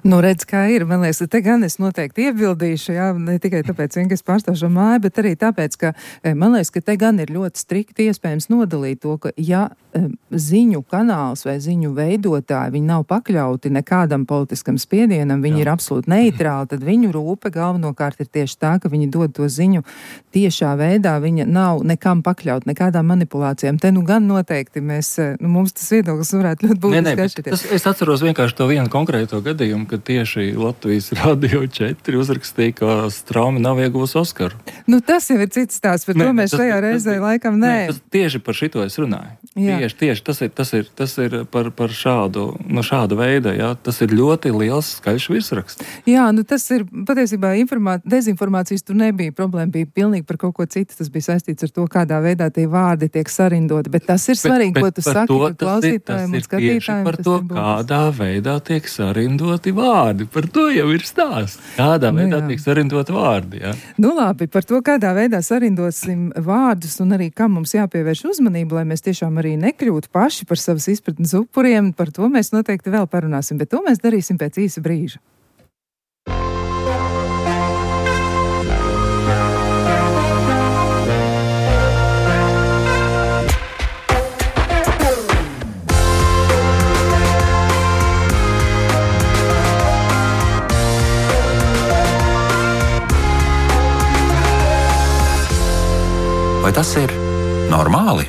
Nu, redz, kā ir. Man liekas, te gan es noteikti iebildīšu, jā, ne tikai tāpēc, ka es pārstāvu šo māju, bet arī tāpēc, ka man liekas, ka te gan ir ļoti strikti iespējams nodalīt to, ka ja ziņu kanāls vai ziņu veidotāji, viņi nav pakļauti nekādam politiskam spiedienam, viņi jā. ir absolūti neitrāli, tad viņu rūpe galvenokārt ir tieši tā, ka viņi dod to ziņu tiešā veidā, viņa nav nekam pakļaut, nekādām manipulācijām. Te nu gan noteikti mēs, nu, mums tas viedoklis varētu ļoti būtiski atšķirties.
Es atceros vienkārši to vienu konkrēto gadījumu, kad tieši Latvijas Radio četri uzrakstīja, ka Straumi nav ieguvusi Oskaru.
Nu, tas jau ir cits stāsts, par ne, to mēs tas, šajā tas, reizē tas, laikam nē.
Ne, tas, tieši par šito es runāju. Jā. Tieši, tieši tas ir, tas ir, tas ir par, par šādu, no šāda veida, jā. Tas ir ļoti liels skaļš virsraksts.
Jā, nu tas ir patiesībā informā... dezinformācijas tur nebija. Problēma bija pilnīgi par kaut ko citu. Tas bija saistīts ar to, kādā veidā tie vārdi tiek sarindoti. Bet tas ir svarīgi, bet, bet, ko tu saki, to, ka klausītājiem un skatītājiem.
Par to, kādā veidā tiek sarindoti vārdi. Par to jau ir stāsts. Kādā nu, veidā jā. tiek sarindoti vārdi, jā.
Nu labi, par to, kādā veidā sarindosim vārdus un arī kam mums jāpievērš uzmanību, lai mēs tiešām arī nekļūtu paši par savas izpratnes upuriem, par to mēs noteikti vēl parunāsim, bet to mēs darīsim pēc īsa brīža.
Vai tas ir normāli?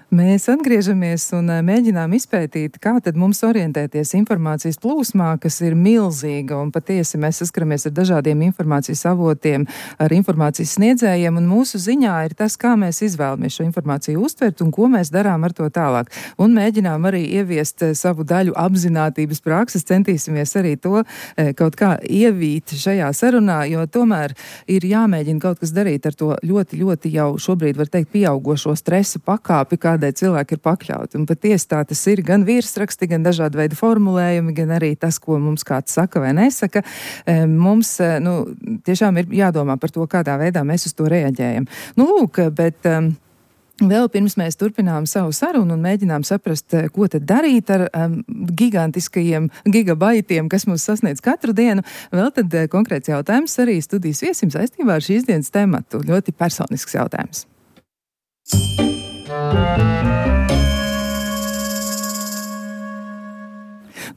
Mēs atgriežamies un mēģinām izpētīt, kā tad mums orientēties informācijas plūsmā, kas ir milzīga, un patiesi mēs saskaramies ar dažādiem informācijas avotiem, ar informācijas sniedzējiem, un mūsu ziņā ir tas, kā mēs izvēlamies šo informāciju uztvert un ko mēs darām ar to tālāk. Un mēģinām arī ieviest savu daļu apzinātības prakses, centīsimies arī to kaut kā ievīt šajā sarunā, jo tomēr ir jāmēģina kaut kas darīt ar to ļoti, ļoti jau šobrīd, var teikt, pieaugošo stresa pakāpi, kā kādai cilvēki ir pakļauti. Un patiesi tā tas ir gan virsraksti, gan dažādi veidi formulējumi, gan arī tas, ko mums kāds saka vai nesaka. Mums, nu, tiešām ir jādomā par to, kādā veidā mēs uz to reaģējam. Nu, lūk, bet um, vēl pirms mēs turpinām savu sarunu un mēģinām saprast, ko tad darīt ar um, gigantiskajiem gigabaitiem, kas mūs sasniedz katru dienu, vēl tad uh, konkrēts jautājums arī studijas viesim saistībā ar šīs dienas tematu. Ļoti personisks jautājums.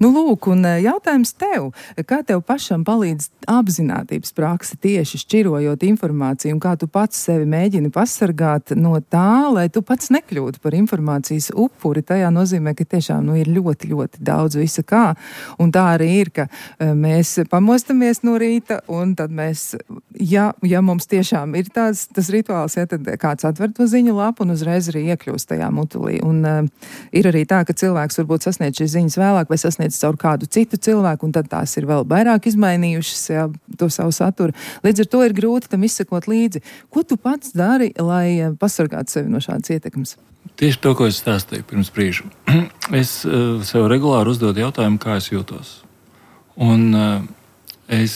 Nu, lūk, un jautājums tev, kā tev pašam palīdz apzinātības prakse tieši šķirojot informāciju, un kā tu pats sevi mēģini pasargāt no tā, lai tu pats nekļūtu par informācijas upuri. Tajā nozīmē, ka tiešām nu, ir ļoti, ļoti daudz visa kā, un tā arī ir, ka mēs pamostamies no rīta, un tad mēs, ja, ja mums tiešām ir tās, tas rituāls, ja, tad kāds atver to ziņu lapu un uzreiz arī iekļūst tajā mutulī. Un uh, ir arī tā, ka cilvēks varbūt sasniedz šīs ziņas vēlāk vai sasniedz caur kādu citu cilvēku, un tad tās ir vēl vairāk izmainījušas, jā, to savu saturu. Līdz ar to ir grūti tam izsekot līdzi. Ko tu pats dari, lai pasargātu sevi no šādas ietekmes?
Tieši to, ko es stāstīju pirms brīža. Es uh, sev regulāri uzdodu jautājumu, kā es jūtos. Un uh, es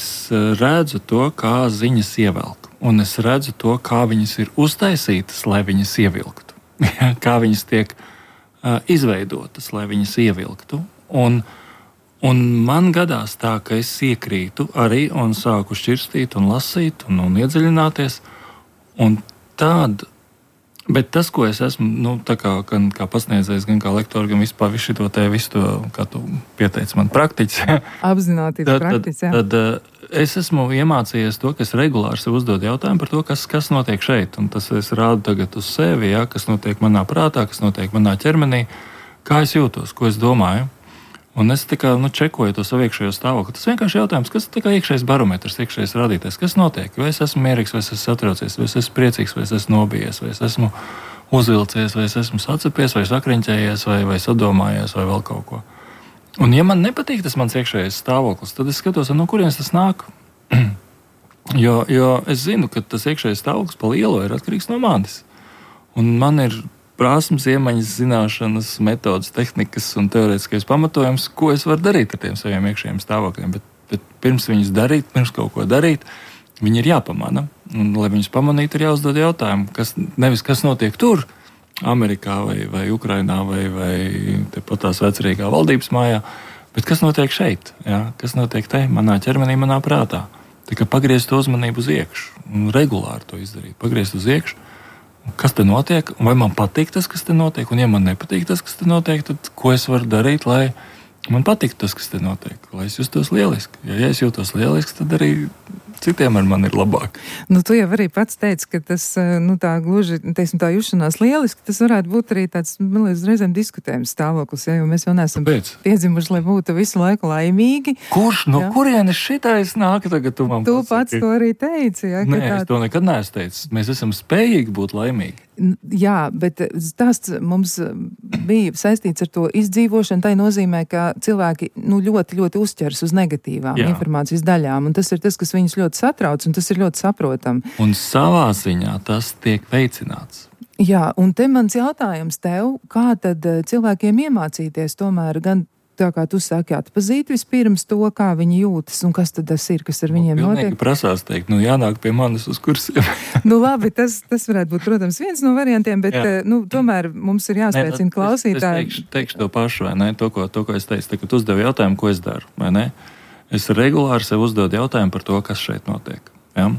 redzu to, kā ziņas ievelk. Un es redzu to, kā viņas ir uztaisītas, lai viņas ievilktu. Kā viņas tiek uh, izveidotas, lai viņas ievilktu. Un Un man gadās tā, ka es iekrītu arī un sāku šķirstīt un lasīt un, un iedziļināties. Un tād, bet tas, ko es esmu, nu, tā kā, gan kā pasniedzējs, gan kā lektors, gan vispār visu to te, visu to, kā tu pieteici man, praktiķis.
Apzinātības praktiķis, jā.
Tad, tad es esmu iemācījies to, ka es regulāri sev uzdodu jautājumu par to, kas, kas notiek šeit. Un tas es rādu tagad uz sevi, jā, kas notiek manā prātā, kas notiek manā ķermenī, kā es jūtos, ko es domāju. Un es tikai nu, čekoju to savu iekšējo stāvokli. Tas vienkārši jautājums, kas ir iekšējais barometrs, iekšējais rādītājs, kas notiek? Vai es esmu mierīgs, vai es esmu satraucies, vai es esmu priecīgs, vai es esmu nobijies, vai es esmu uzvilcies, vai es esmu sacepies, vai sakriņķējies, vai, vai sadomājies, vai vēl kaut ko. Un ja man nepatīk tas mans iekšējais stāvoklis, tad es skatos, no kurienes tas nāk. jo, jo es zinu, ka tas iekšējais stāvoklis pa lielo ir atkarīgs no manis. Un man ir prasmes, iemaņas, zināšanas, metodas, tehnikas un teorētiskais pamatojums, ko es varu darīt ar tiem saviem iekšējiem stāvokļiem. Bet, bet pirms viņus darīt, pirms kaut ko darīt, viņi ir jāpamana. Un, lai viņus pamanītu, ir jāuzdod jautājumu, kas, nevis kas notiek tur, Amerikā vai, vai Ukrainā vai, vai tepat tās vecrīgā valdības mājā, bet kas notiek šeit, jā? Kas notiek te, manā ķermenī, manā prātā. Tā kā pagriezt to uzmanību uz iekšu un regulāri to izdarīt, pagriezt uz iekšu. Kas te notiek, vai man patīk tas, kas te notiek, un ja man nepatīk tas, kas te notiek, tad ko es varu darīt, lai man patiktu tas, kas te notiek, lai es justos lieliski. Ja, ja es jūtos lieliski, tad arī citiem ar mani ir labāk.
Nu, tu jau arī pats teici, ka tas, nu, tā gluži, teiksim, tā jušanās lieliski, tas varētu būt arī tāds, man liekas, reizēm diskutējums stāvoklis, ja, jo mēs jau neesam Pēc? piedzimuši, lai būtu visu laiku laimīgi.
Kurš, no ja? kurienes šitais nāk tagad tu man
Tu
pasaki?
pats to arī teici, ja?
Nē,
tā...
es to nekad neesmu teicis. Mēs esam spējīgi būt laimīgi.
Jā, bet stāsts mums bija saistīts ar to izdzīvošanu. Tā nozīmē, ka cilvēki nu, ļoti, ļoti uzķers uz negatīvām Jā. informācijas daļām. Un tas ir tas, kas viņus ļoti satrauc, un tas ir ļoti saprotami.
Un savā ziņā tas tiek veicināts.
Jā, un te mans jautājums tev, kā tad cilvēkiem iemācīties tomēr gan tā kā tu saki, atpazīt vispirms to, kā viņi jūtas un kas tad tas ir, kas ar viņiem
nu,
notiek.
Prasās teikt, nu jānāk pie manis uz kursiem.
nu labi, tas, tas varētu būt, protams, viens no variantiem, bet Jā. nu, tomēr mums ir jāspēcina klausītāji.
Es, es teikšu, teikšu to pašu, vai ne? To, ko, to, ko es teicu, tā, kad uzdevu jautājumu, ko es daru, vai ne? Es regulāri sev uzdodu jautājumu par to, kas šeit notiek. Ja?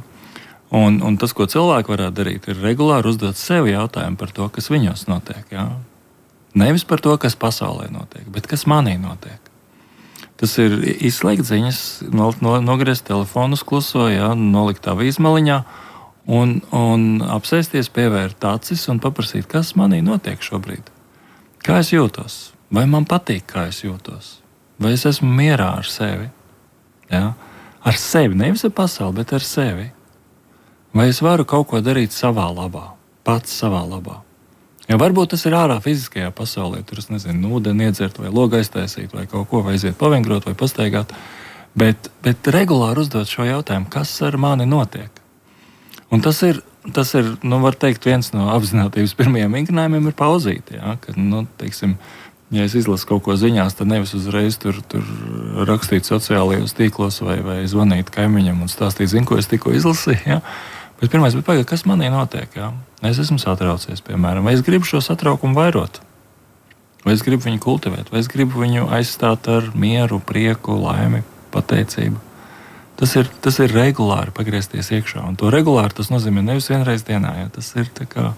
Un, un tas, ko cilvēki varētu darīt, ir regulāri uzdot sev jautājumu par to, kas viņos notiek. Ja? Nevis par to, kas pasaulē notiek, bet kas manī notiek. Tas ir izslēgt ziņas, no, no, nogriezt telefonu uz kluso, jā, nolikt tā vīzmaliņā un, un apsēsties, pievērt acis un paprasīt, kas manī notiek šobrīd. Kā es jūtos? Vai man patīk, kā es jūtos? Vai es esmu mierā ar sevi? Jā? Ar sevi, nevis ar pasauli, bet ar sevi. Vai es varu kaut ko darīt savā labā, pats savā labā? Ja varbūt tas ir ārā fiziskajā pasaulē, tur es nezinu, ūdeni iedzert vai logu aiztaisīt vai kaut ko, vai aiziet pavingrot vai pastaigāt, bet, bet regulāri uzdot šo jautājumu, kas ar mani notiek. Un tas ir, tas ir, nu var teikt, viens no apzinātības pirmajiem vingrinājumiem ir pauzīt, ja, kad, nu, teiksim, ja es izlasu kaut ko ziņās, tad nevis uzreiz tur, tur rakstīt sociālajos tīklos vai, vai zvanīt kaimiņam un stāstīt, zinu, ko es tikko izlasīju, ja. Bet pirmais bija pagaid, kas manī notiek, jā? Es esmu satraucies, piemēram, vai es gribu šo satraukumu vairot, vai es gribu viņu kultivēt, vai es gribu viņu aizstāt ar mieru, prieku, laimi, pateicību. Tas ir, tas ir regulāri pagriezties iekšā, un to regulāri tas nozīmē nevis vienreiz dienā, jā? Tas ir tā kā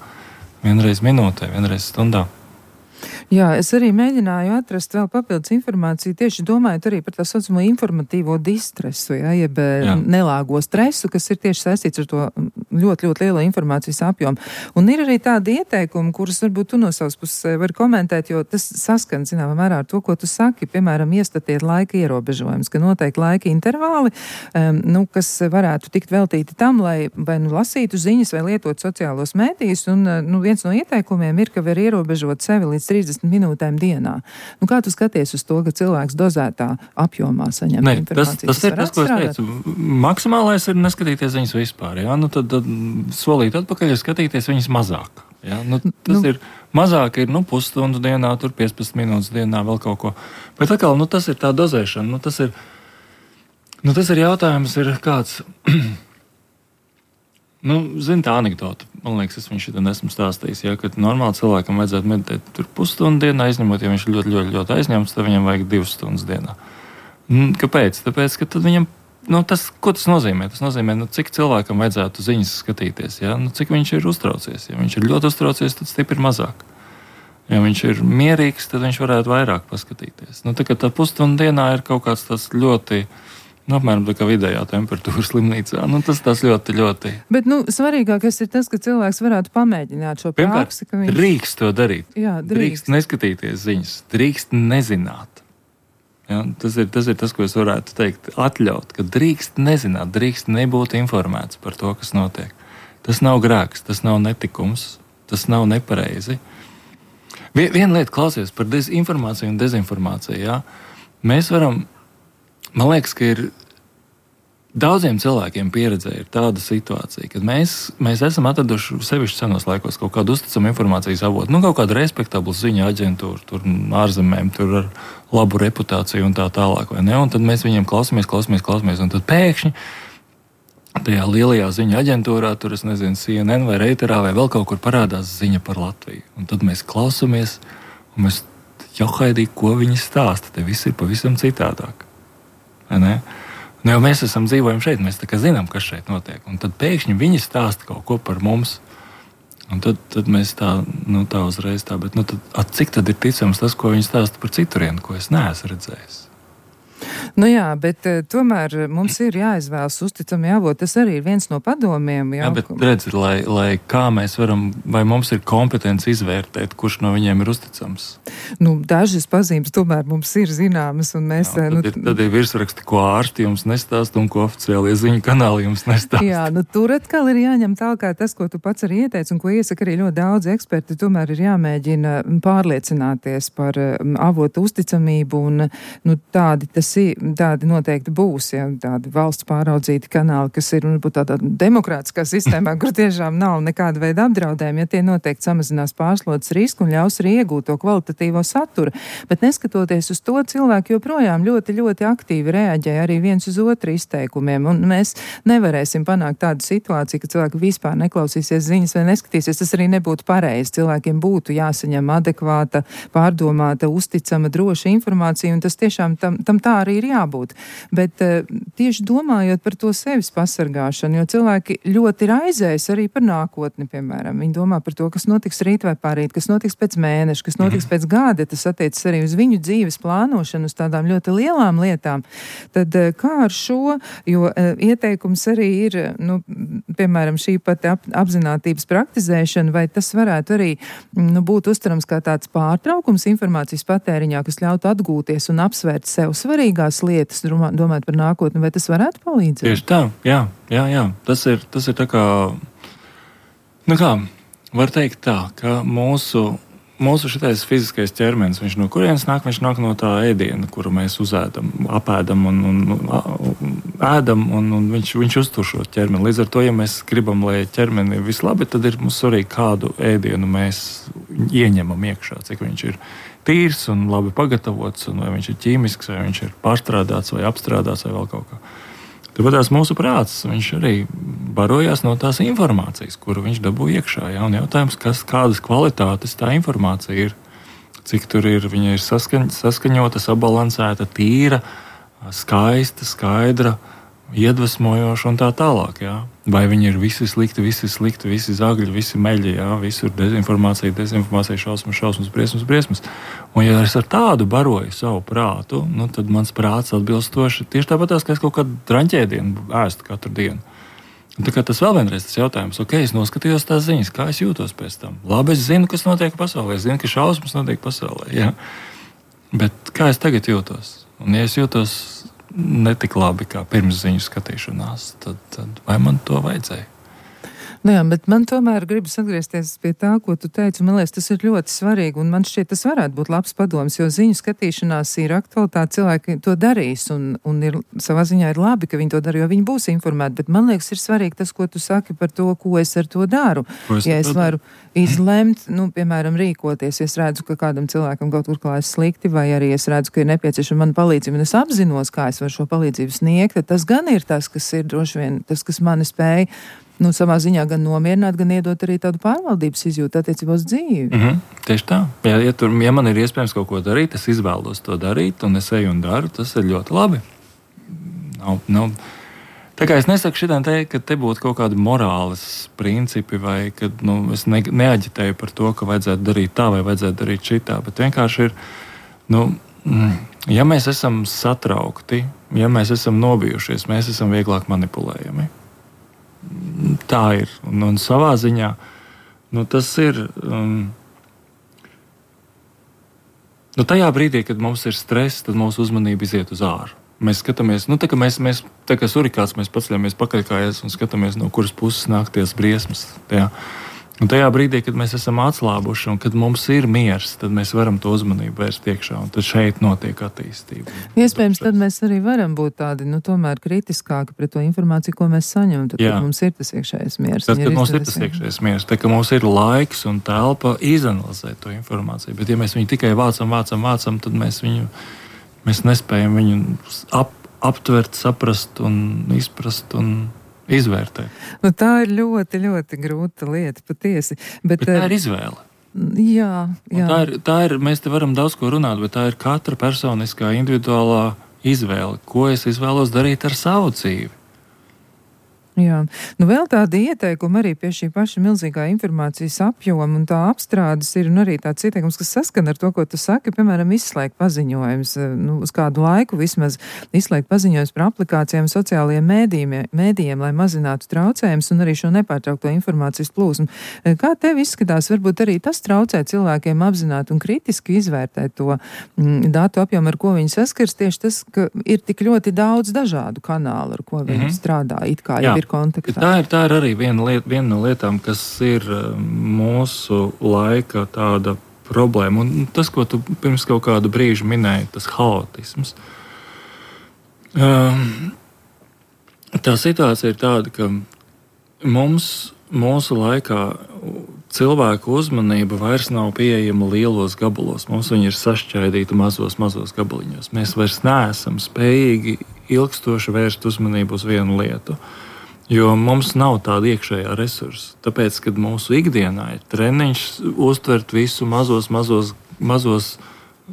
vienreiz minūtē, vienreiz stundā.
Jā, es arī mēģināju atrast vēl papildus informāciju, tieši domājot arī par tā saucamo informatīvo distresu, ja, jeb jā. nelāgo stresu, kas ir tieši saistīts ar to ļoti, ļoti lielo informācijas apjomu. Un ir arī tādi ieteikumi, kurus varbūt tu no savas puses vari komentēt, jo tas saskan, zināmā mērā, ar to, ko tu saki, piemēram, iestatiet laika ierobežojums, ka noteikti laika intervāli, um, nu, kas varētu tikt veltīti tam, lai vai nu lasītu ziņas vai lietot sociālos mēdījus, un nu, viens no ieteikumiem ir, ka var ierobežot sevi līdz trīsdesmit minūtēm dienā. Nu, kā tu skaties uz to, ka cilvēks dozētā apjomā saņem
ne,
informāciju?
Tas, tas, tas ir tas, ko es teicu. Maksimālais ir neskatīties viņas vispār. Ja? Nu, tad, tad solīt atpakaļ ir skatīties viņas mazāk. Ja? Nu, tas nu. ir mazāk, ir nu, pusstundu dienā, tur piecpadsmit minūtes dienā, vēl kaut ko. Bet atkal, nu, tas ir tā dozēšana. Nu, tas, ir, nu, tas ir jautājums, ir kāds. Nu, zin, tā anekdota. Man liekas, es viņu šitā esmu stāstījis. Ja, ka normāli cilvēkam vajadzētu meditēt tur pusstundu dienā, izņemot, ja viņš ir ļoti, ļoti, ļoti aizņemts, tad viņam vajag divas stundas dienā. Kāpēc? Tāpēc, ka tad viņam, nu, tas, ko tas nozīmē? Tas nozīmē, nu, cik cilvēkam vajadzētu ziņas skatīties, ja? Nu, cik viņš ir uztraucies. Ja viņš ir ļoti uztraucies, tad stipri mazāk. Ja viņš ir mierīgs, tad viņš varētu vairāk paskatīties. Nu, tā kā tā pusstundu dienā ir kaut kāds tas ļoti... Nu, apmēram tā kā vidējā temperatūra slimnīcā. Nu, tas tas ļoti, ļoti...
Bet, nu, svarīgākais ir tas, ka cilvēks varētu pamēģināt šo praksi, ka viņš...
Drīkst to darīt.
Jā, drīkst.
Drīkst neskatīties ziņas. Drīkst nezināt. Ja, tas, ir, tas ir tas, ko es varētu teikt. Atļaut, ka drīkst nezināt, drīkst nebūt informēts par to, kas notiek. Tas nav grēks, tas nav netikums, tas nav nepareizi. Viena lieta, klausies par dezinformāciju un dezinformāciju. Ja? Mēs varam... Man liekas, ka ir daudziem cilvēkiem pieredzē ir tāda situācija, kad mēs, mēs esam atraduši sevišķi senos laikos kaut kādu uzticamu informācijas avotu, nu, kaut kādu respektablu ziņu aģentūru, tur ārzemēm, tur ar labu reputāciju un tā tālāk, vai ne? Un tad mēs viņiem klausamies, klausamies, klausamies, un tad pēkšņi tajā lielajā ziņu aģentūrā, tur es nezinu, C N N vai Reuterā vai vēl kaut kur parādās ziņa par Latviju. Un tad mēs klausamies, un mēs jau haidī, ko viņi stāsta, te viss ir pavisam citādāk. Ne? Nu, jau mēs esam dzīvojam šeit, mēs tā kā zinām, kas šeit notiek. Un tad pēkšņi viņi stāsta kaut ko par mums. Un tad, tad mēs tā, nu, tā uzreiz tā, bet nu, tad, at, cik tad ir ticams tas, ko viņi stāsta par citurienu, ko es neesmu redzējis?
Nu jā, bet uh, tomēr mums ir jāizvēlas uzticami avoti. Tas arī ir viens no padomiem. Jā,
jā bet redzi, lai, lai kā mēs varam, vai mums ir kompetence izvērtēt, kurš no viņiem ir uzticams?
Nu, dažas pazīmes tomēr mums ir zināmas, un mēs...
Jā, tad, nu, ir, tad ir virsraksti, ko ārsti jums nestāst un ko oficiālie ziņu kanāli jums nestāst.
Jā, nu tur atkal ir jāņem tālāk tas, ko tu pats arī ieteici, un ko iesaka arī ļoti daudz eksperti. Tomēr ir jāmēģina pārliecināties par um, avotu uzticamību, un nu, tādi tas ir. Tādi noteikti būs, ja tādi valsts pāraudzīti kanāli, kas ir varbūt tādā demokrātiskā sistēmā, kur tiešām nav nekāda veida apdraudējumi, ja tie noteikti samazinās pārslodzes risku un ļaus arī iegūt to kvalitatīvo saturu. Bet neskatoties uz to, cilvēki joprojām ļoti, ļoti aktīvi reaģē arī viens uz otru izteikumiem, un mēs nevarēsim panākt tādu situāciju, ka cilvēki vispār neklausīsies ziņas vai neskatīsies. Tas arī nebūtu pareizi. Cilvēkiem būtu jāsaņem adekvāta, pārdomāta, uzticama, droša informācija, un tas tiešām tam, tam tā arī ir jābūt. Bet uh, tieši domājot par to sevis pasargāšanu, jo cilvēki ļoti raizējas arī par nākotni, piemēram. Viņi domā par to, kas notiks rīt vai pārīt, kas notiks pēc mēneša, kas notiks pēc gada. Tas attiecas arī uz viņu dzīves plānošanu, uz tādām ļoti lielām lietām. Tad uh, kā ar šo, jo uh, ieteikums arī ir, nu, piemēram, šī pati ap, apzinātības praktizēšana, vai tas varētu arī nu, būt uztverams kā tāds pārtraukums informācijas patēriņā, kas ļautu atgūties un apsvērt sev svarīgās lietas, domāt par nākotni, vai tas varētu palīdzēt?
Tieši tā, jā, jā, jā. Tas ir, tas ir tā kā, nu kā, var teikt tā, ka mūsu, mūsu šitais fiziskais ķermenis, viņš no kurienes nāk, viņš nāk no tā ēdiena, kuru mēs uzēdam, apēdam un, un, un ēdam, un, un viņš, viņš uztur šo ķermeni. Līdz ar to, ja mēs gribam, lai ķermeni ir vislabi, tad ir mums svarīgi, kādu ēdienu mēs ieņemam iekšā, cik viņš ir tīrs un labi pagatavots, un vai viņš ir ķīmisks, vai viņš ir pārstrādāts, vai apstrādāts, vai vēl kaut kā. Tāpēc tās mūsu prāts, viņš arī barojās no tās informācijas, kuru viņš dabū iekšā. Ja? Un jautājums, kas, kādas kvalitātes tā informācija ir, cik tur ir, viņa ir saskaņ, saskaņota, sabalansēta, tīra, skaista, skaidra, iedvesmojoša un tā tālāk. Ja? Vai viņi ir visi slikti, visi slikti, visi zagļi, visi meļi, ja? Visur dezinformācija, dezinformācija, šausmas, šausmas, briesmas, briesmas. Un ja es ar tādu baroju savu prātu, nu, tad mans prāts atbilstoši tieši tāpat tās, ka es kaut kādu draņķēdienu ēstu katru dienu. Un tā kā tas vēl vienreiz tas jautājums, ok, es noskatījos tās ziņas, kā es jūtos pēc tam. Labi, es zinu, kas notiek pasaulē, es zinu, ka šausmas notiek pasaulē, ja? Bet kā es tagad jūtos? Un ja es jūtos netik labi kā pirms ziņu skatīšanās, tad, tad vai man to vajadzēja?
Nu jā, bet man tomēr gribas atgriezties pie tā, ko tu teici. Man liekas, tas ir ļoti svarīgi, un man šķiet, tas varētu būt labs padoms, jo ziņu skatīšanās ir aktualitāte, cilvēki to darīs, un, un ir, savā ziņā ir labi, ka viņi to dara, jo viņi būs informēti, bet man liekas, ir svarīgi tas, ko tu saki par to, ko es ar to daru. Es ja es varu izlemt, nu, piemēram, rīkoties, ja es redzu, ka kādam cilvēkam kaut kur klājas slikti, vai arī es redzu, ka ir nepieciešama mana palīdzība, un es apzinos, kā es varu šo palīdzību sniegt, tad tas gan ir tas, kas ir droši vien, tas, kas mani spēj nu, savā ziņā gan nomierināt, gan iedot arī tādu pārvaldības izjūtu attiecībā uz dzīvi.
Mm-hmm, tieši tā. Ja, ja, tur, ja man ir iespējams kaut ko darīt, es izvēlos to darīt, un es eju un daru, tas ir ļoti labi. Nav, nav. Tā kā es nesaku šitā te, ka te būtu kaut kādi morāles principi, vai kad nu, es ne, neaģitēju par to, ka vajadzētu darīt tā, vai vajadzētu darīt šitā, bet vienkārši ir, nu, ja mēs esam satraukti, ja mēs esam nobijušies, mēs esam vieglāk manipulējami. Tā ir. Un, un savā ziņā nu, tas ir. Um, nu, tajā brīdī, kad mums ir stress, tad mūsu uzmanība iziet uz āru. Mēs skatāmies, nu, tā kā mēs, mēs tā kā surikāts, mēs paceļamies pakaļkājās un skatāmies, no kuras puses nāk ties briesmas. Tajā. Un tajā brīdī, kad mēs esam atslābuši un kad mums ir miers, tad mēs varam to uzmanību vērst iekšā, un tad šeit notiek attīstība.
Iespējams, tad mēs arī varam būt tādi, nu, tomēr kritiskāki pret to informāciju, ko mēs saņemam, tad, kad mums ir tas iekšējais miers.
Tad, kad mums ir tas iekšējais miers, tad, ka mums ir laiks un telpa izanalizēt to informāciju, bet ja mēs viņu tikai vācam, vācam, vācam, tad mēs viņu, mēs nespējam viņu ap, aptvert, saprast un izprast un izvērtēt.
Nu, tā ir ļoti, ļoti grūta lieta, patiesi. Bet,
bet tā ir izvēle.
Jā, jā.
Tā ir, tā ir, mēs te varam daudz ko runāt, bet tā ir katra personiskā, individuālā izvēle, ko es izvēlos darīt ar savu dzīvi.
Jā, nu vēl tādi ieteikumi arī pie šī paša milzīgā informācijas apjoma un tā apstrādes ir, un arī tāds ieteikums, kas saskan ar to, ko tu saki, piemēram, izslēgt paziņojums, nu, uz kādu laiku vismaz izslēgt paziņojums par aplikācijām sociālajiem mēdījiem, mēdījiem, lai mazinātu traucējumus un arī šo nepārtraukto informācijas plūsmu. Kā tev izskatās, varbūt arī tas traucē cilvēkiem apzināt un kritiski izvērtēt to mm, datu apjomu, ar ko viņi saskars, tieši tas, ka ir tik ļoti daudz dažādu kanālu, ar ko viņi mm-hmm. strādā, it kā jau ir kontaktā.
Tā ir, tā ir arī viena, liet, viena no lietām, kas ir mūsu laika tāda problēma. Un tas, ko tu pirms kaut kādu brīžu minēji, tas haotisms. Um, tā situācija ir tāda, ka mums, mūsu laikā cilvēku uzmanība vairs nav pieejama lielos gabalos. Mums viņi ir sašķaidīti mazos, mazos gabaliņos. Mēs vairs neesam spējīgi ilgstoši vērst uzmanību uz vienu lietu. Jo mums nav tāda iekšējā resursa. Tāpēc, kad mūsu ikdienā ir treniņš uztvert visu mazos, mazos, mazos,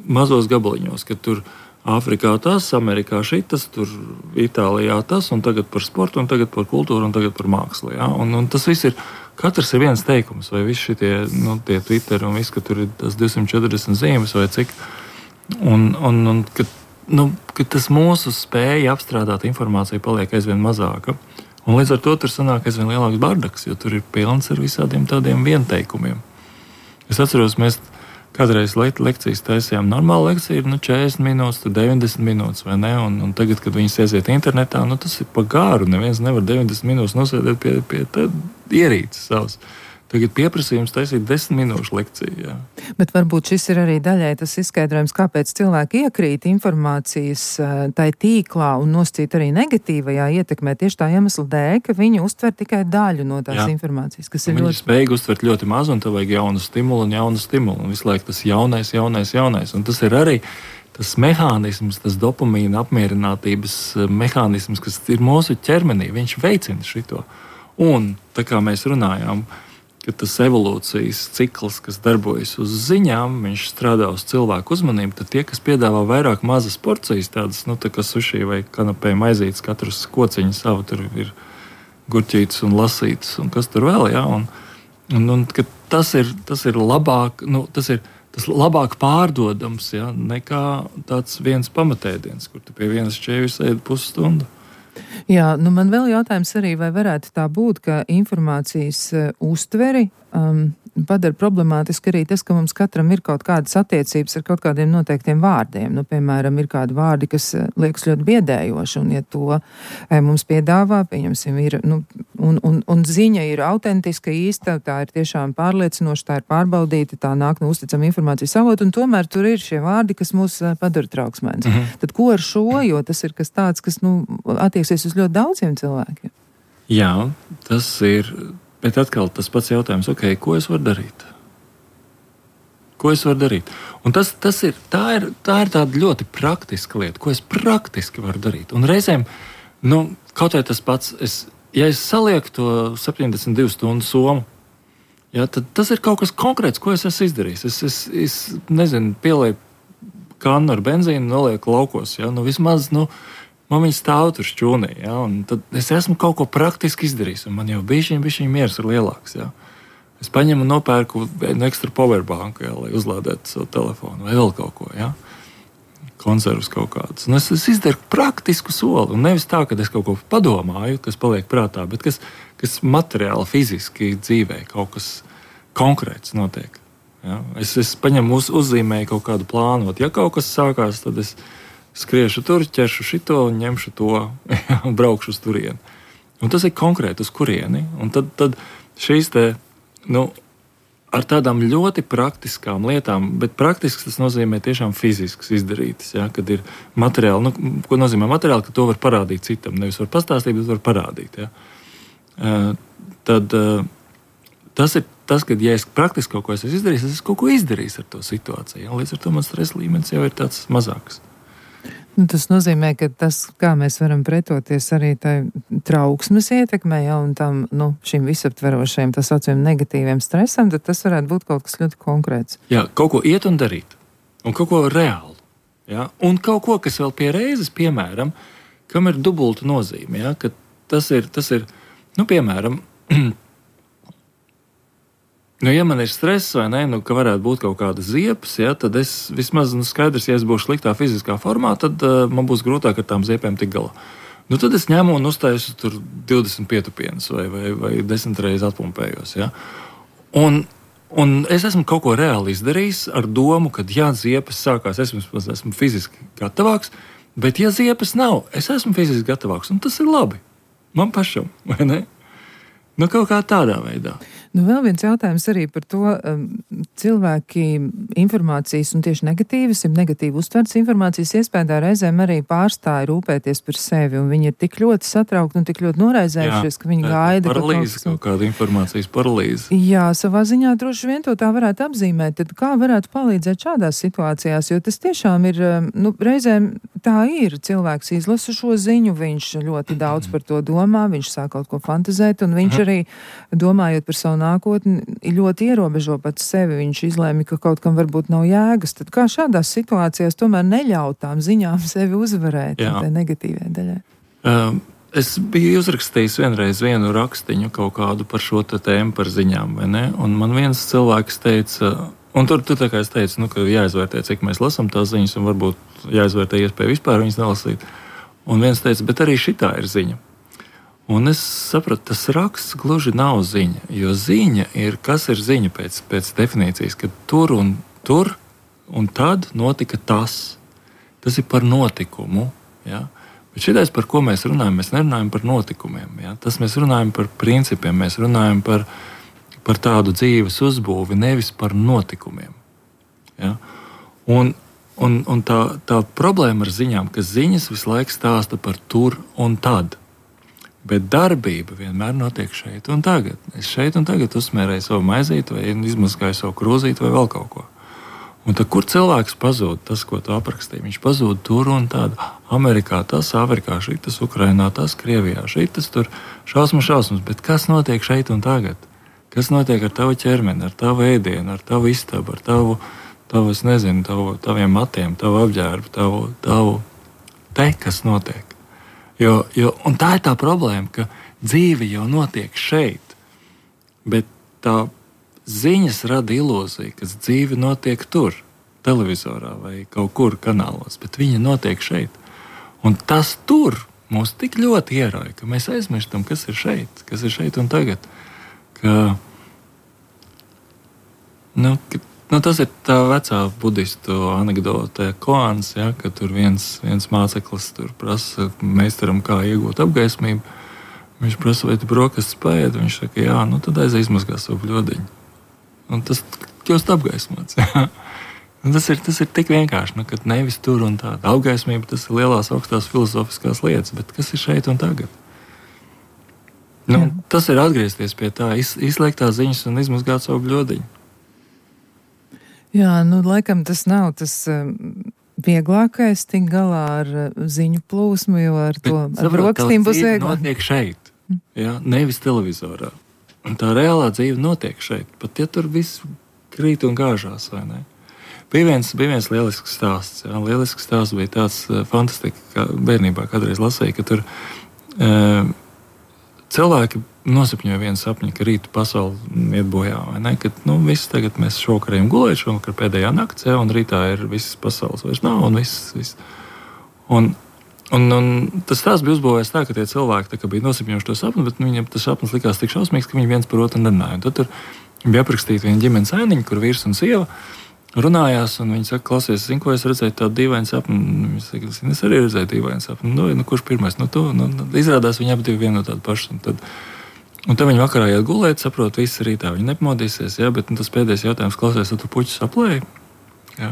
mazos gabaliņos, kad tur Āfrikā tas, Amerikā šitas, tur Itālijā tas, un tagad par sportu, un tagad par kultūru, un tagad par mākslu. Ja? Un, un tas viss ir, katrs ir viens teikums, vai visi šitie, nu, tie Twitter, un viss, ka tur ir tas divsimt četrdesmit zīmes, vai cik. Un, un, un kad, nu, kad tas mūsu spēja apstrādāt informāciju paliek aizvien mazāka. Un līdz ar to tur sanāk aizvien lielāks bardaks, jo tur ir pilns ar visādiem tādiem vienteikumiem. Es atceros, mēs kādreiz le- lekcijas taisījām. Normāla lekcija ir nu, četrdesmit minūtes, tad deviņdesmit minūtes, vai ne? Un, un tagad, kad viņas aiziet internetā, nu, tas ir pa garu. Neviens nevar deviņdesmit minūtes nosēdēt pie, pie ierīces savas. Tagad pieprasījums taisīt desmit minūšu lekciju. Jā.
Bet varbūt šis ir arī daļai tas izskaidrojums, kāpēc cilvēki iekrīt informācijas tai tīklā un noscīt arī negatīvajā ietekmē tieši tā iemesla dēļ, ka viņi uztver tikai daļu no tās Jā. informācijas, kas ir
viņi
ļoti...
Viņi spēj uztvert ļoti maz, un tev vajag jaunu stimulu un jaunu stimulu. Un visu laiku tas jaunais, jaunais, jaunais. Un tas ir arī tas mehānisms, tas dopamīna apmierinātības mehānisms, kas ir mūsu ķermenī. Viņš veicina šito. Un tā kā mēs runājām, ka tas evolūcijas cikls, kas darbojas uz ziņām, viņš strādā uz cilvēku uzmanību, tad tie, kas piedāvā vairāk mazas porcijas, tādas, nu, tā kā suši vai kanapē maizītes, katrs kociņu savu, tur ir gurķītes un lasītes, un kas tur vēl, jā, un, un, un ka tas ir, tas ir labāk, nu, tas ir tas labāk pārdodams, jā, nekā tāds viens pamatēdiens, kur tu pie vienas šķēvis ēd pusstundu.
Jā, nu man vēl jautājums arī, vai varētu tā būt, ka informācijas uh, uztveri um, padara problemātiski arī tas, ka mums katram ir kaut kādas attiecības ar kaut kādiem noteiktiem vārdiem. Nu, piemēram, ir kādi vārdi, kas liekas ļoti biedējoši, un ja to e, mums piedāvā, pieņemsim, ir, nu, un, un, un ziņa ir autentiska, īsta, tā ir tiešām pārliecinoša, tā ir pārbaudīta, tā nāk no uzticama informācijas avota, un tomēr tur ir šie vārdi, kas mūs padara trauksmēns. Mhm. Tad ko ar šo, jo tas ir kas tāds, kas, nu, attieksies uz ļoti daudziem cilvēkiem?
Jā, tas ir... Bet atkal tas pats jautājums, ok, ko es varu darīt? Ko es varu darīt? Un tas, tas ir, tā ir, tā ir tāda ļoti praktiska lieta, ko es praktiski varu darīt. Un reizēm, nu, kaut vai tas pats, es, ja es salieku to septiņdesmit divu stundu somu, ja, tad tas ir kaut kas konkrēts, ko es esmu izdarījis. Es, es, es nezinu, pielieku kannu ar benzīnu, nolieku laukos, ja, nu vismaz, nu, man viņa stāv tur šķūnī, ja, un tad es esmu kaut ko praktiski izdarījis, un man jau bišķiņ, bišķiņ miers ir lielāks, ja. Es paņemu un nopērku vienu ekstra powerbanku, ja, lai uzlādētu savu telefonu, vai vēl kaut ko, ja. Konservus kaut kādus. Un es, es izdaru praktisku soli, un nevis tā, ka es kaut ko padomāju, kas paliek prātā, bet kas, kas materiāli, fiziski dzīvē, kaut kas konkrēts notiek. Ja. Es, es paņemu uz, uzzīmēju kaut kādu plānu, ja kaut kas sākās, tad es skriešu tur, ķeršu šito un ņemšu to un braukšu uz turieni. Un tas ir konkrēti uz kurieni. Un tad, tad šīs te, nu, ar tādām ļoti praktiskām lietām, bet praktisks tas nozīmē tiešām fizisks izdarītas, ja, kad ir materiāli, nu, ko nozīmē materiāli, ka to var parādīt citam. Nevis var pastāstīt, bet var parādīt, ja. Uh, tad uh, tas ir tas, kad, ja es praktiski kaut ko esmu izdarījis, es esmu kaut ko izdarījis ar to situāciju. Ja, līdz ar to man stresa līmenis jau ir tāds mazāks.
Nu, tas nozīmē, ka tas, kā mēs varam pretoties arī tai trauksmes ietekmē, ja, un tam, nu, šim visaptverošajam, tā saucamiem negatīviem stresam, tad tas varētu būt kaut kas ļoti konkrēts. Jā,
kaut ko iet un darīt, un kaut ko reāli, ja, un kaut ko, kas vēl pie reizes, piemēram, kam ir dubulta nozīme, ja, ka tas ir, tas ir, nu, piemēram, nu, ja man ir stress vai ne, nu, ka varētu būt kaut kāda ziepes, ja, tad es vismaz, nu, skaidrs, ja es būšu sliktā fiziskā formā, tad uh, man būs grūtāk ar tām ziepēm tik galā. Nu, tad es ņemu un uztaisu tur divdesmit pietupienas vai, vai, vai desmit reizes atpumpējos, ja. Un, un es esmu kaut ko reāli izdarījis ar domu, ka, ja ziepes sākās, es esmu, esmu fiziski gatavāks, bet ja ziepes nav, es esmu fiziski gatavāks, un tas ir labi. Man pašam, vai ne? Nu, kaut kā tādā veidā.
Nu, vēl viens jautājums arī par to, um, cilvēki informācijas un tieši negatīvas, ir negatīvi uztverts informācijas iespējā reizēm arī pārstāja rūpēties par sevi, un viņi ir tik ļoti satraukti un tik ļoti noraizējušies, ka viņi jā, gaida.
Paralīze, kaut, kaut kāda informācijas paralīze.
Jā, savā ziņā droši vien to tā varētu apzīmēt. Tad kā varētu palīdzēt šādās situācijās, jo tas tiešām ir, nu, reizēm tā ir. Cilvēks izlasa šo ziņu, viņš ļoti daudz par to domā, viņš sāk kaut ko fantazēt, un viņš arī, domājot par savu nākotni, ļoti ierobežo pats sevi. Viņš izlēma, ka kaut kam varbūt nav jēgas. Tad kā šādās situācijās tomēr neļaut tām ziņām sevi uzvarēt, tai negatīvai daļai?
Um, es biju uzrakstījis vienreiz vienu rakstiņu kaut kādu par šo tēmu, par ziņām, vai ne? Un man viens cilvēks teica, un tur, tur tā kā es teicu, nu, ka jāizvērtē, cik mēs lasam tās ziņas, un varbūt jāizvērtē iespēja vispār viņas nelasīt. Un viens teica, bet arī šitā ir ziņa. Un es sapratu, tas raksts gluži nav ziņa, jo ziņa ir, kas ir ziņa pēc, pēc definīcijas, ka tur un tur un tad notika tas. Tas ir par notikumu, ja? Bet šitais, par ko mēs runājam, mēs nerunājam par notikumiem, ja? Tas mēs runājam par principiem, mēs runājam par, par tādu dzīves uzbūvi, nevis par notikumiem. Ja? Un, un, un tā, tā problēma ar ziņām, ka ziņas visu laiku stāsta par tur un tad. Bet darbība vienmēr notiek šeit un tagad. Es šeit un tagad uzsmērēju savu maizīti vai izmazgāju savu krūzīti vai vēl kaut ko. Un tad, kur cilvēks pazūd, tas, ko tu aprakstīji, viņš pazūd tur un tad. Amerikā tas, Afrikā šitas, Ukrainā tas, Krievijā šitas, tur šausmas, šausmas. Bet kas notiek šeit un tagad? Kas notiek ar tavu ķermeni, ar tavu ēdienu, ar tavu istabu, ar tavu, tavu es nezinu, tavu, taviem matiem, tavu apģērbu, tavu, tavu te, kas notiek? Jo, jo, un tā ir tā problēma, ka dzīve jau notiek šeit, bet tā ziņas rada ilūziju, ka dzīve notiek tur, televizorā vai kaut kur kanālos, bet viņa notiek šeit. Un tas tur, mūs tik ļoti ierauj, ka mēs aizmirstam, kas ir šeit, kas ir šeit un tagad. Ka, nu, ka, nu, tas ir tā vecā budistu anekdote koans, ja, ka tur viens, viens māceklis tur prasa meistaram, kā iegūt apgaismību. Viņš prasa, vai tu brokastis paēd? Viņš saka, jā, nu tad aiz izmazgā savu bļodiņu. Un tas kļūst apgaismots. Ja. Tas ir, tas ir tik vienkārši, nu, ka nevis tur un tāda. Apgaismība, tas ir lielās augstās filozofiskās lietas, bet kas ir šeit un tagad? Nu, tas ir atgriezties pie tā, iz, izslēgt tās ziņas un izmazgāt savu bļodiņu.
Jā, nu, laikam tas nav tas um, vieglākais tik galā ar uh, ziņu plūsmu, jo ar bet, to ar brokstīm būs vieglāk.
Notiek šeit, ja, nevis televizorā. Un tā reālā dzīve notiek šeit, pat ja tur viss krīt un gāžās, vai ne? Bija viens, bija viens lielisks stāsts. Jā. Lielisks stāsts bija tāds uh, fantastika, kā bērnībā kādreiz lasīja, ka tur uh, cilvēki nosapņoja vienu sapņu, ka rītu pasauli iet bojā, vai ne? Ka, nu, viss tagad mēs šokarējam gulēt, šovakar pēdējā nakts, jā, un rītā ir viss pasaules vairs nav, un viss, viss. Un, un, un tas stāsts bija uzbūvējis tā, ka tie cilvēki tā, ka bija nosapņojuši to sapni, bet viņiem tas sapnis likās tik šausmīgs, ka viņi viens par otru nerunāja. Tad tur bija aprakstīta viena ģimenes ainiņa, kur vīrs un sieva runājās, un viņi saka, klausies, zinu, ko es redzēju tādu dīvainu sapni. Viņi saka, es arī redzēju dīvainu sapni. Nu, nu, kurš pirmais? Nu, tu, nu, izrādās, viņi abi divi vienu no tādu pašu. Un tad, un tad viņi vakarā iet gulēt, saprot, viss rītā viņi nepamodīsies, jā, bet nu, tas pēdējais jautājums, klausies, tu puķis aplēji? Jā.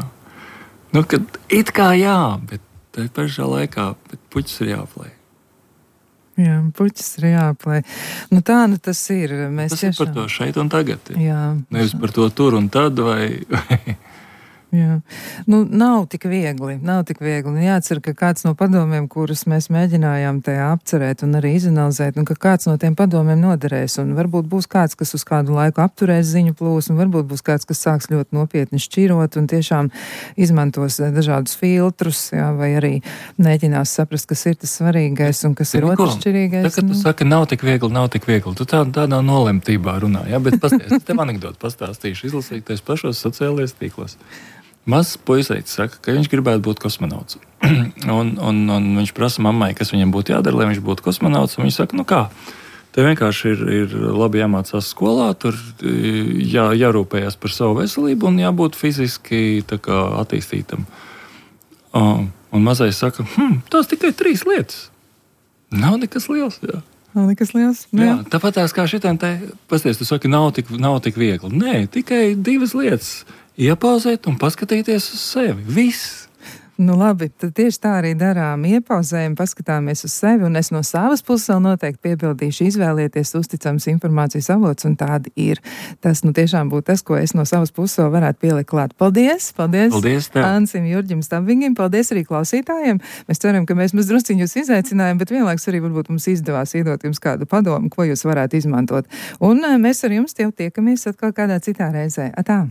Nu, kad it kā jā, bet tā pašā laikā, bet puķis ir jāaplēj.
Jā, puķis ir jāaplēj. Nu tā, nu tas ir. Mēs
tas
tiešām...
ir par to šeit un tagad.
Jā.
Nevis par to tur un tad vai...
Jā. Nu, nav tik viegli, nav tik viegli. Nu, jāatcer, ka kāds no padomiem, kurus mēs mēģinājām tajā apcerēt un arī izanalizēt, un ka kāds no tiem padomiem noderēs, un varbūt būs kāds, kas uz kādu laiku apturēs ziņu plūsmu, varbūt būs kāds, kas sāks ļoti nopietni šķirot un tiešām izmantos dažādus filtrus, jā, vai arī mēģinās saprast, kas ir tas svarīgais un kas ir otršķirīgais.
Tā, kad tu saki, nav tik viegli, nav tik viegli, tu tā, tādā nolemtībā runā, jā, bet pasties, tev anekdotu pastāstīšu, izlasīties pašos sociālajos tīklos. Mazs puiseitis saka, ka viņš gribētu būt kosmonauts. un, un, un viņš prasa mammai, kas viņam būtu jādara, lai viņš būtu kosmonauts. Un viņš saka, nu kā, te vienkārši ir, ir labi jāmācās skolā, tur jā, jārūpējās par savu veselību un jābūt fiziski tā kā attīstītam. Um, un mazais saka, hm, tās tikai trīs lietas. Nav nekas liels, jā.
Nav nekas liels.
Jā, jā tāpat tās kā šitām te, pasties, tu saki, nav tik, nav tik viegli. Nē, tikai divas lietas. Iepauzēt un paskatīties uz sevi. Viss.
Nu labi, tad tieši tā arī darām. Iepauzējam, paskatāmies uz sevi, un es no savas puses vēl noteikti piebildīšu, izvēlieties uzticams informācijas avots, un tādi ir. Tas nu tiešām būtu tas, ko es no savas puses vēl varētu pielikt klāt. Paldies! Paldies!
Paldies tev!
Ansim Jurģim Stabingim, paldies arī klausītājiem. Mēs ceram, ka mēs maz drusciņu jūs izaicinājām, bet vienlaiks arī varbūt mums izdevās iedot jums kādu padomu, ko jūs varētu izmantot. Un mēs ar jums jau tiekamies atkal kādā citā reizē. Atā!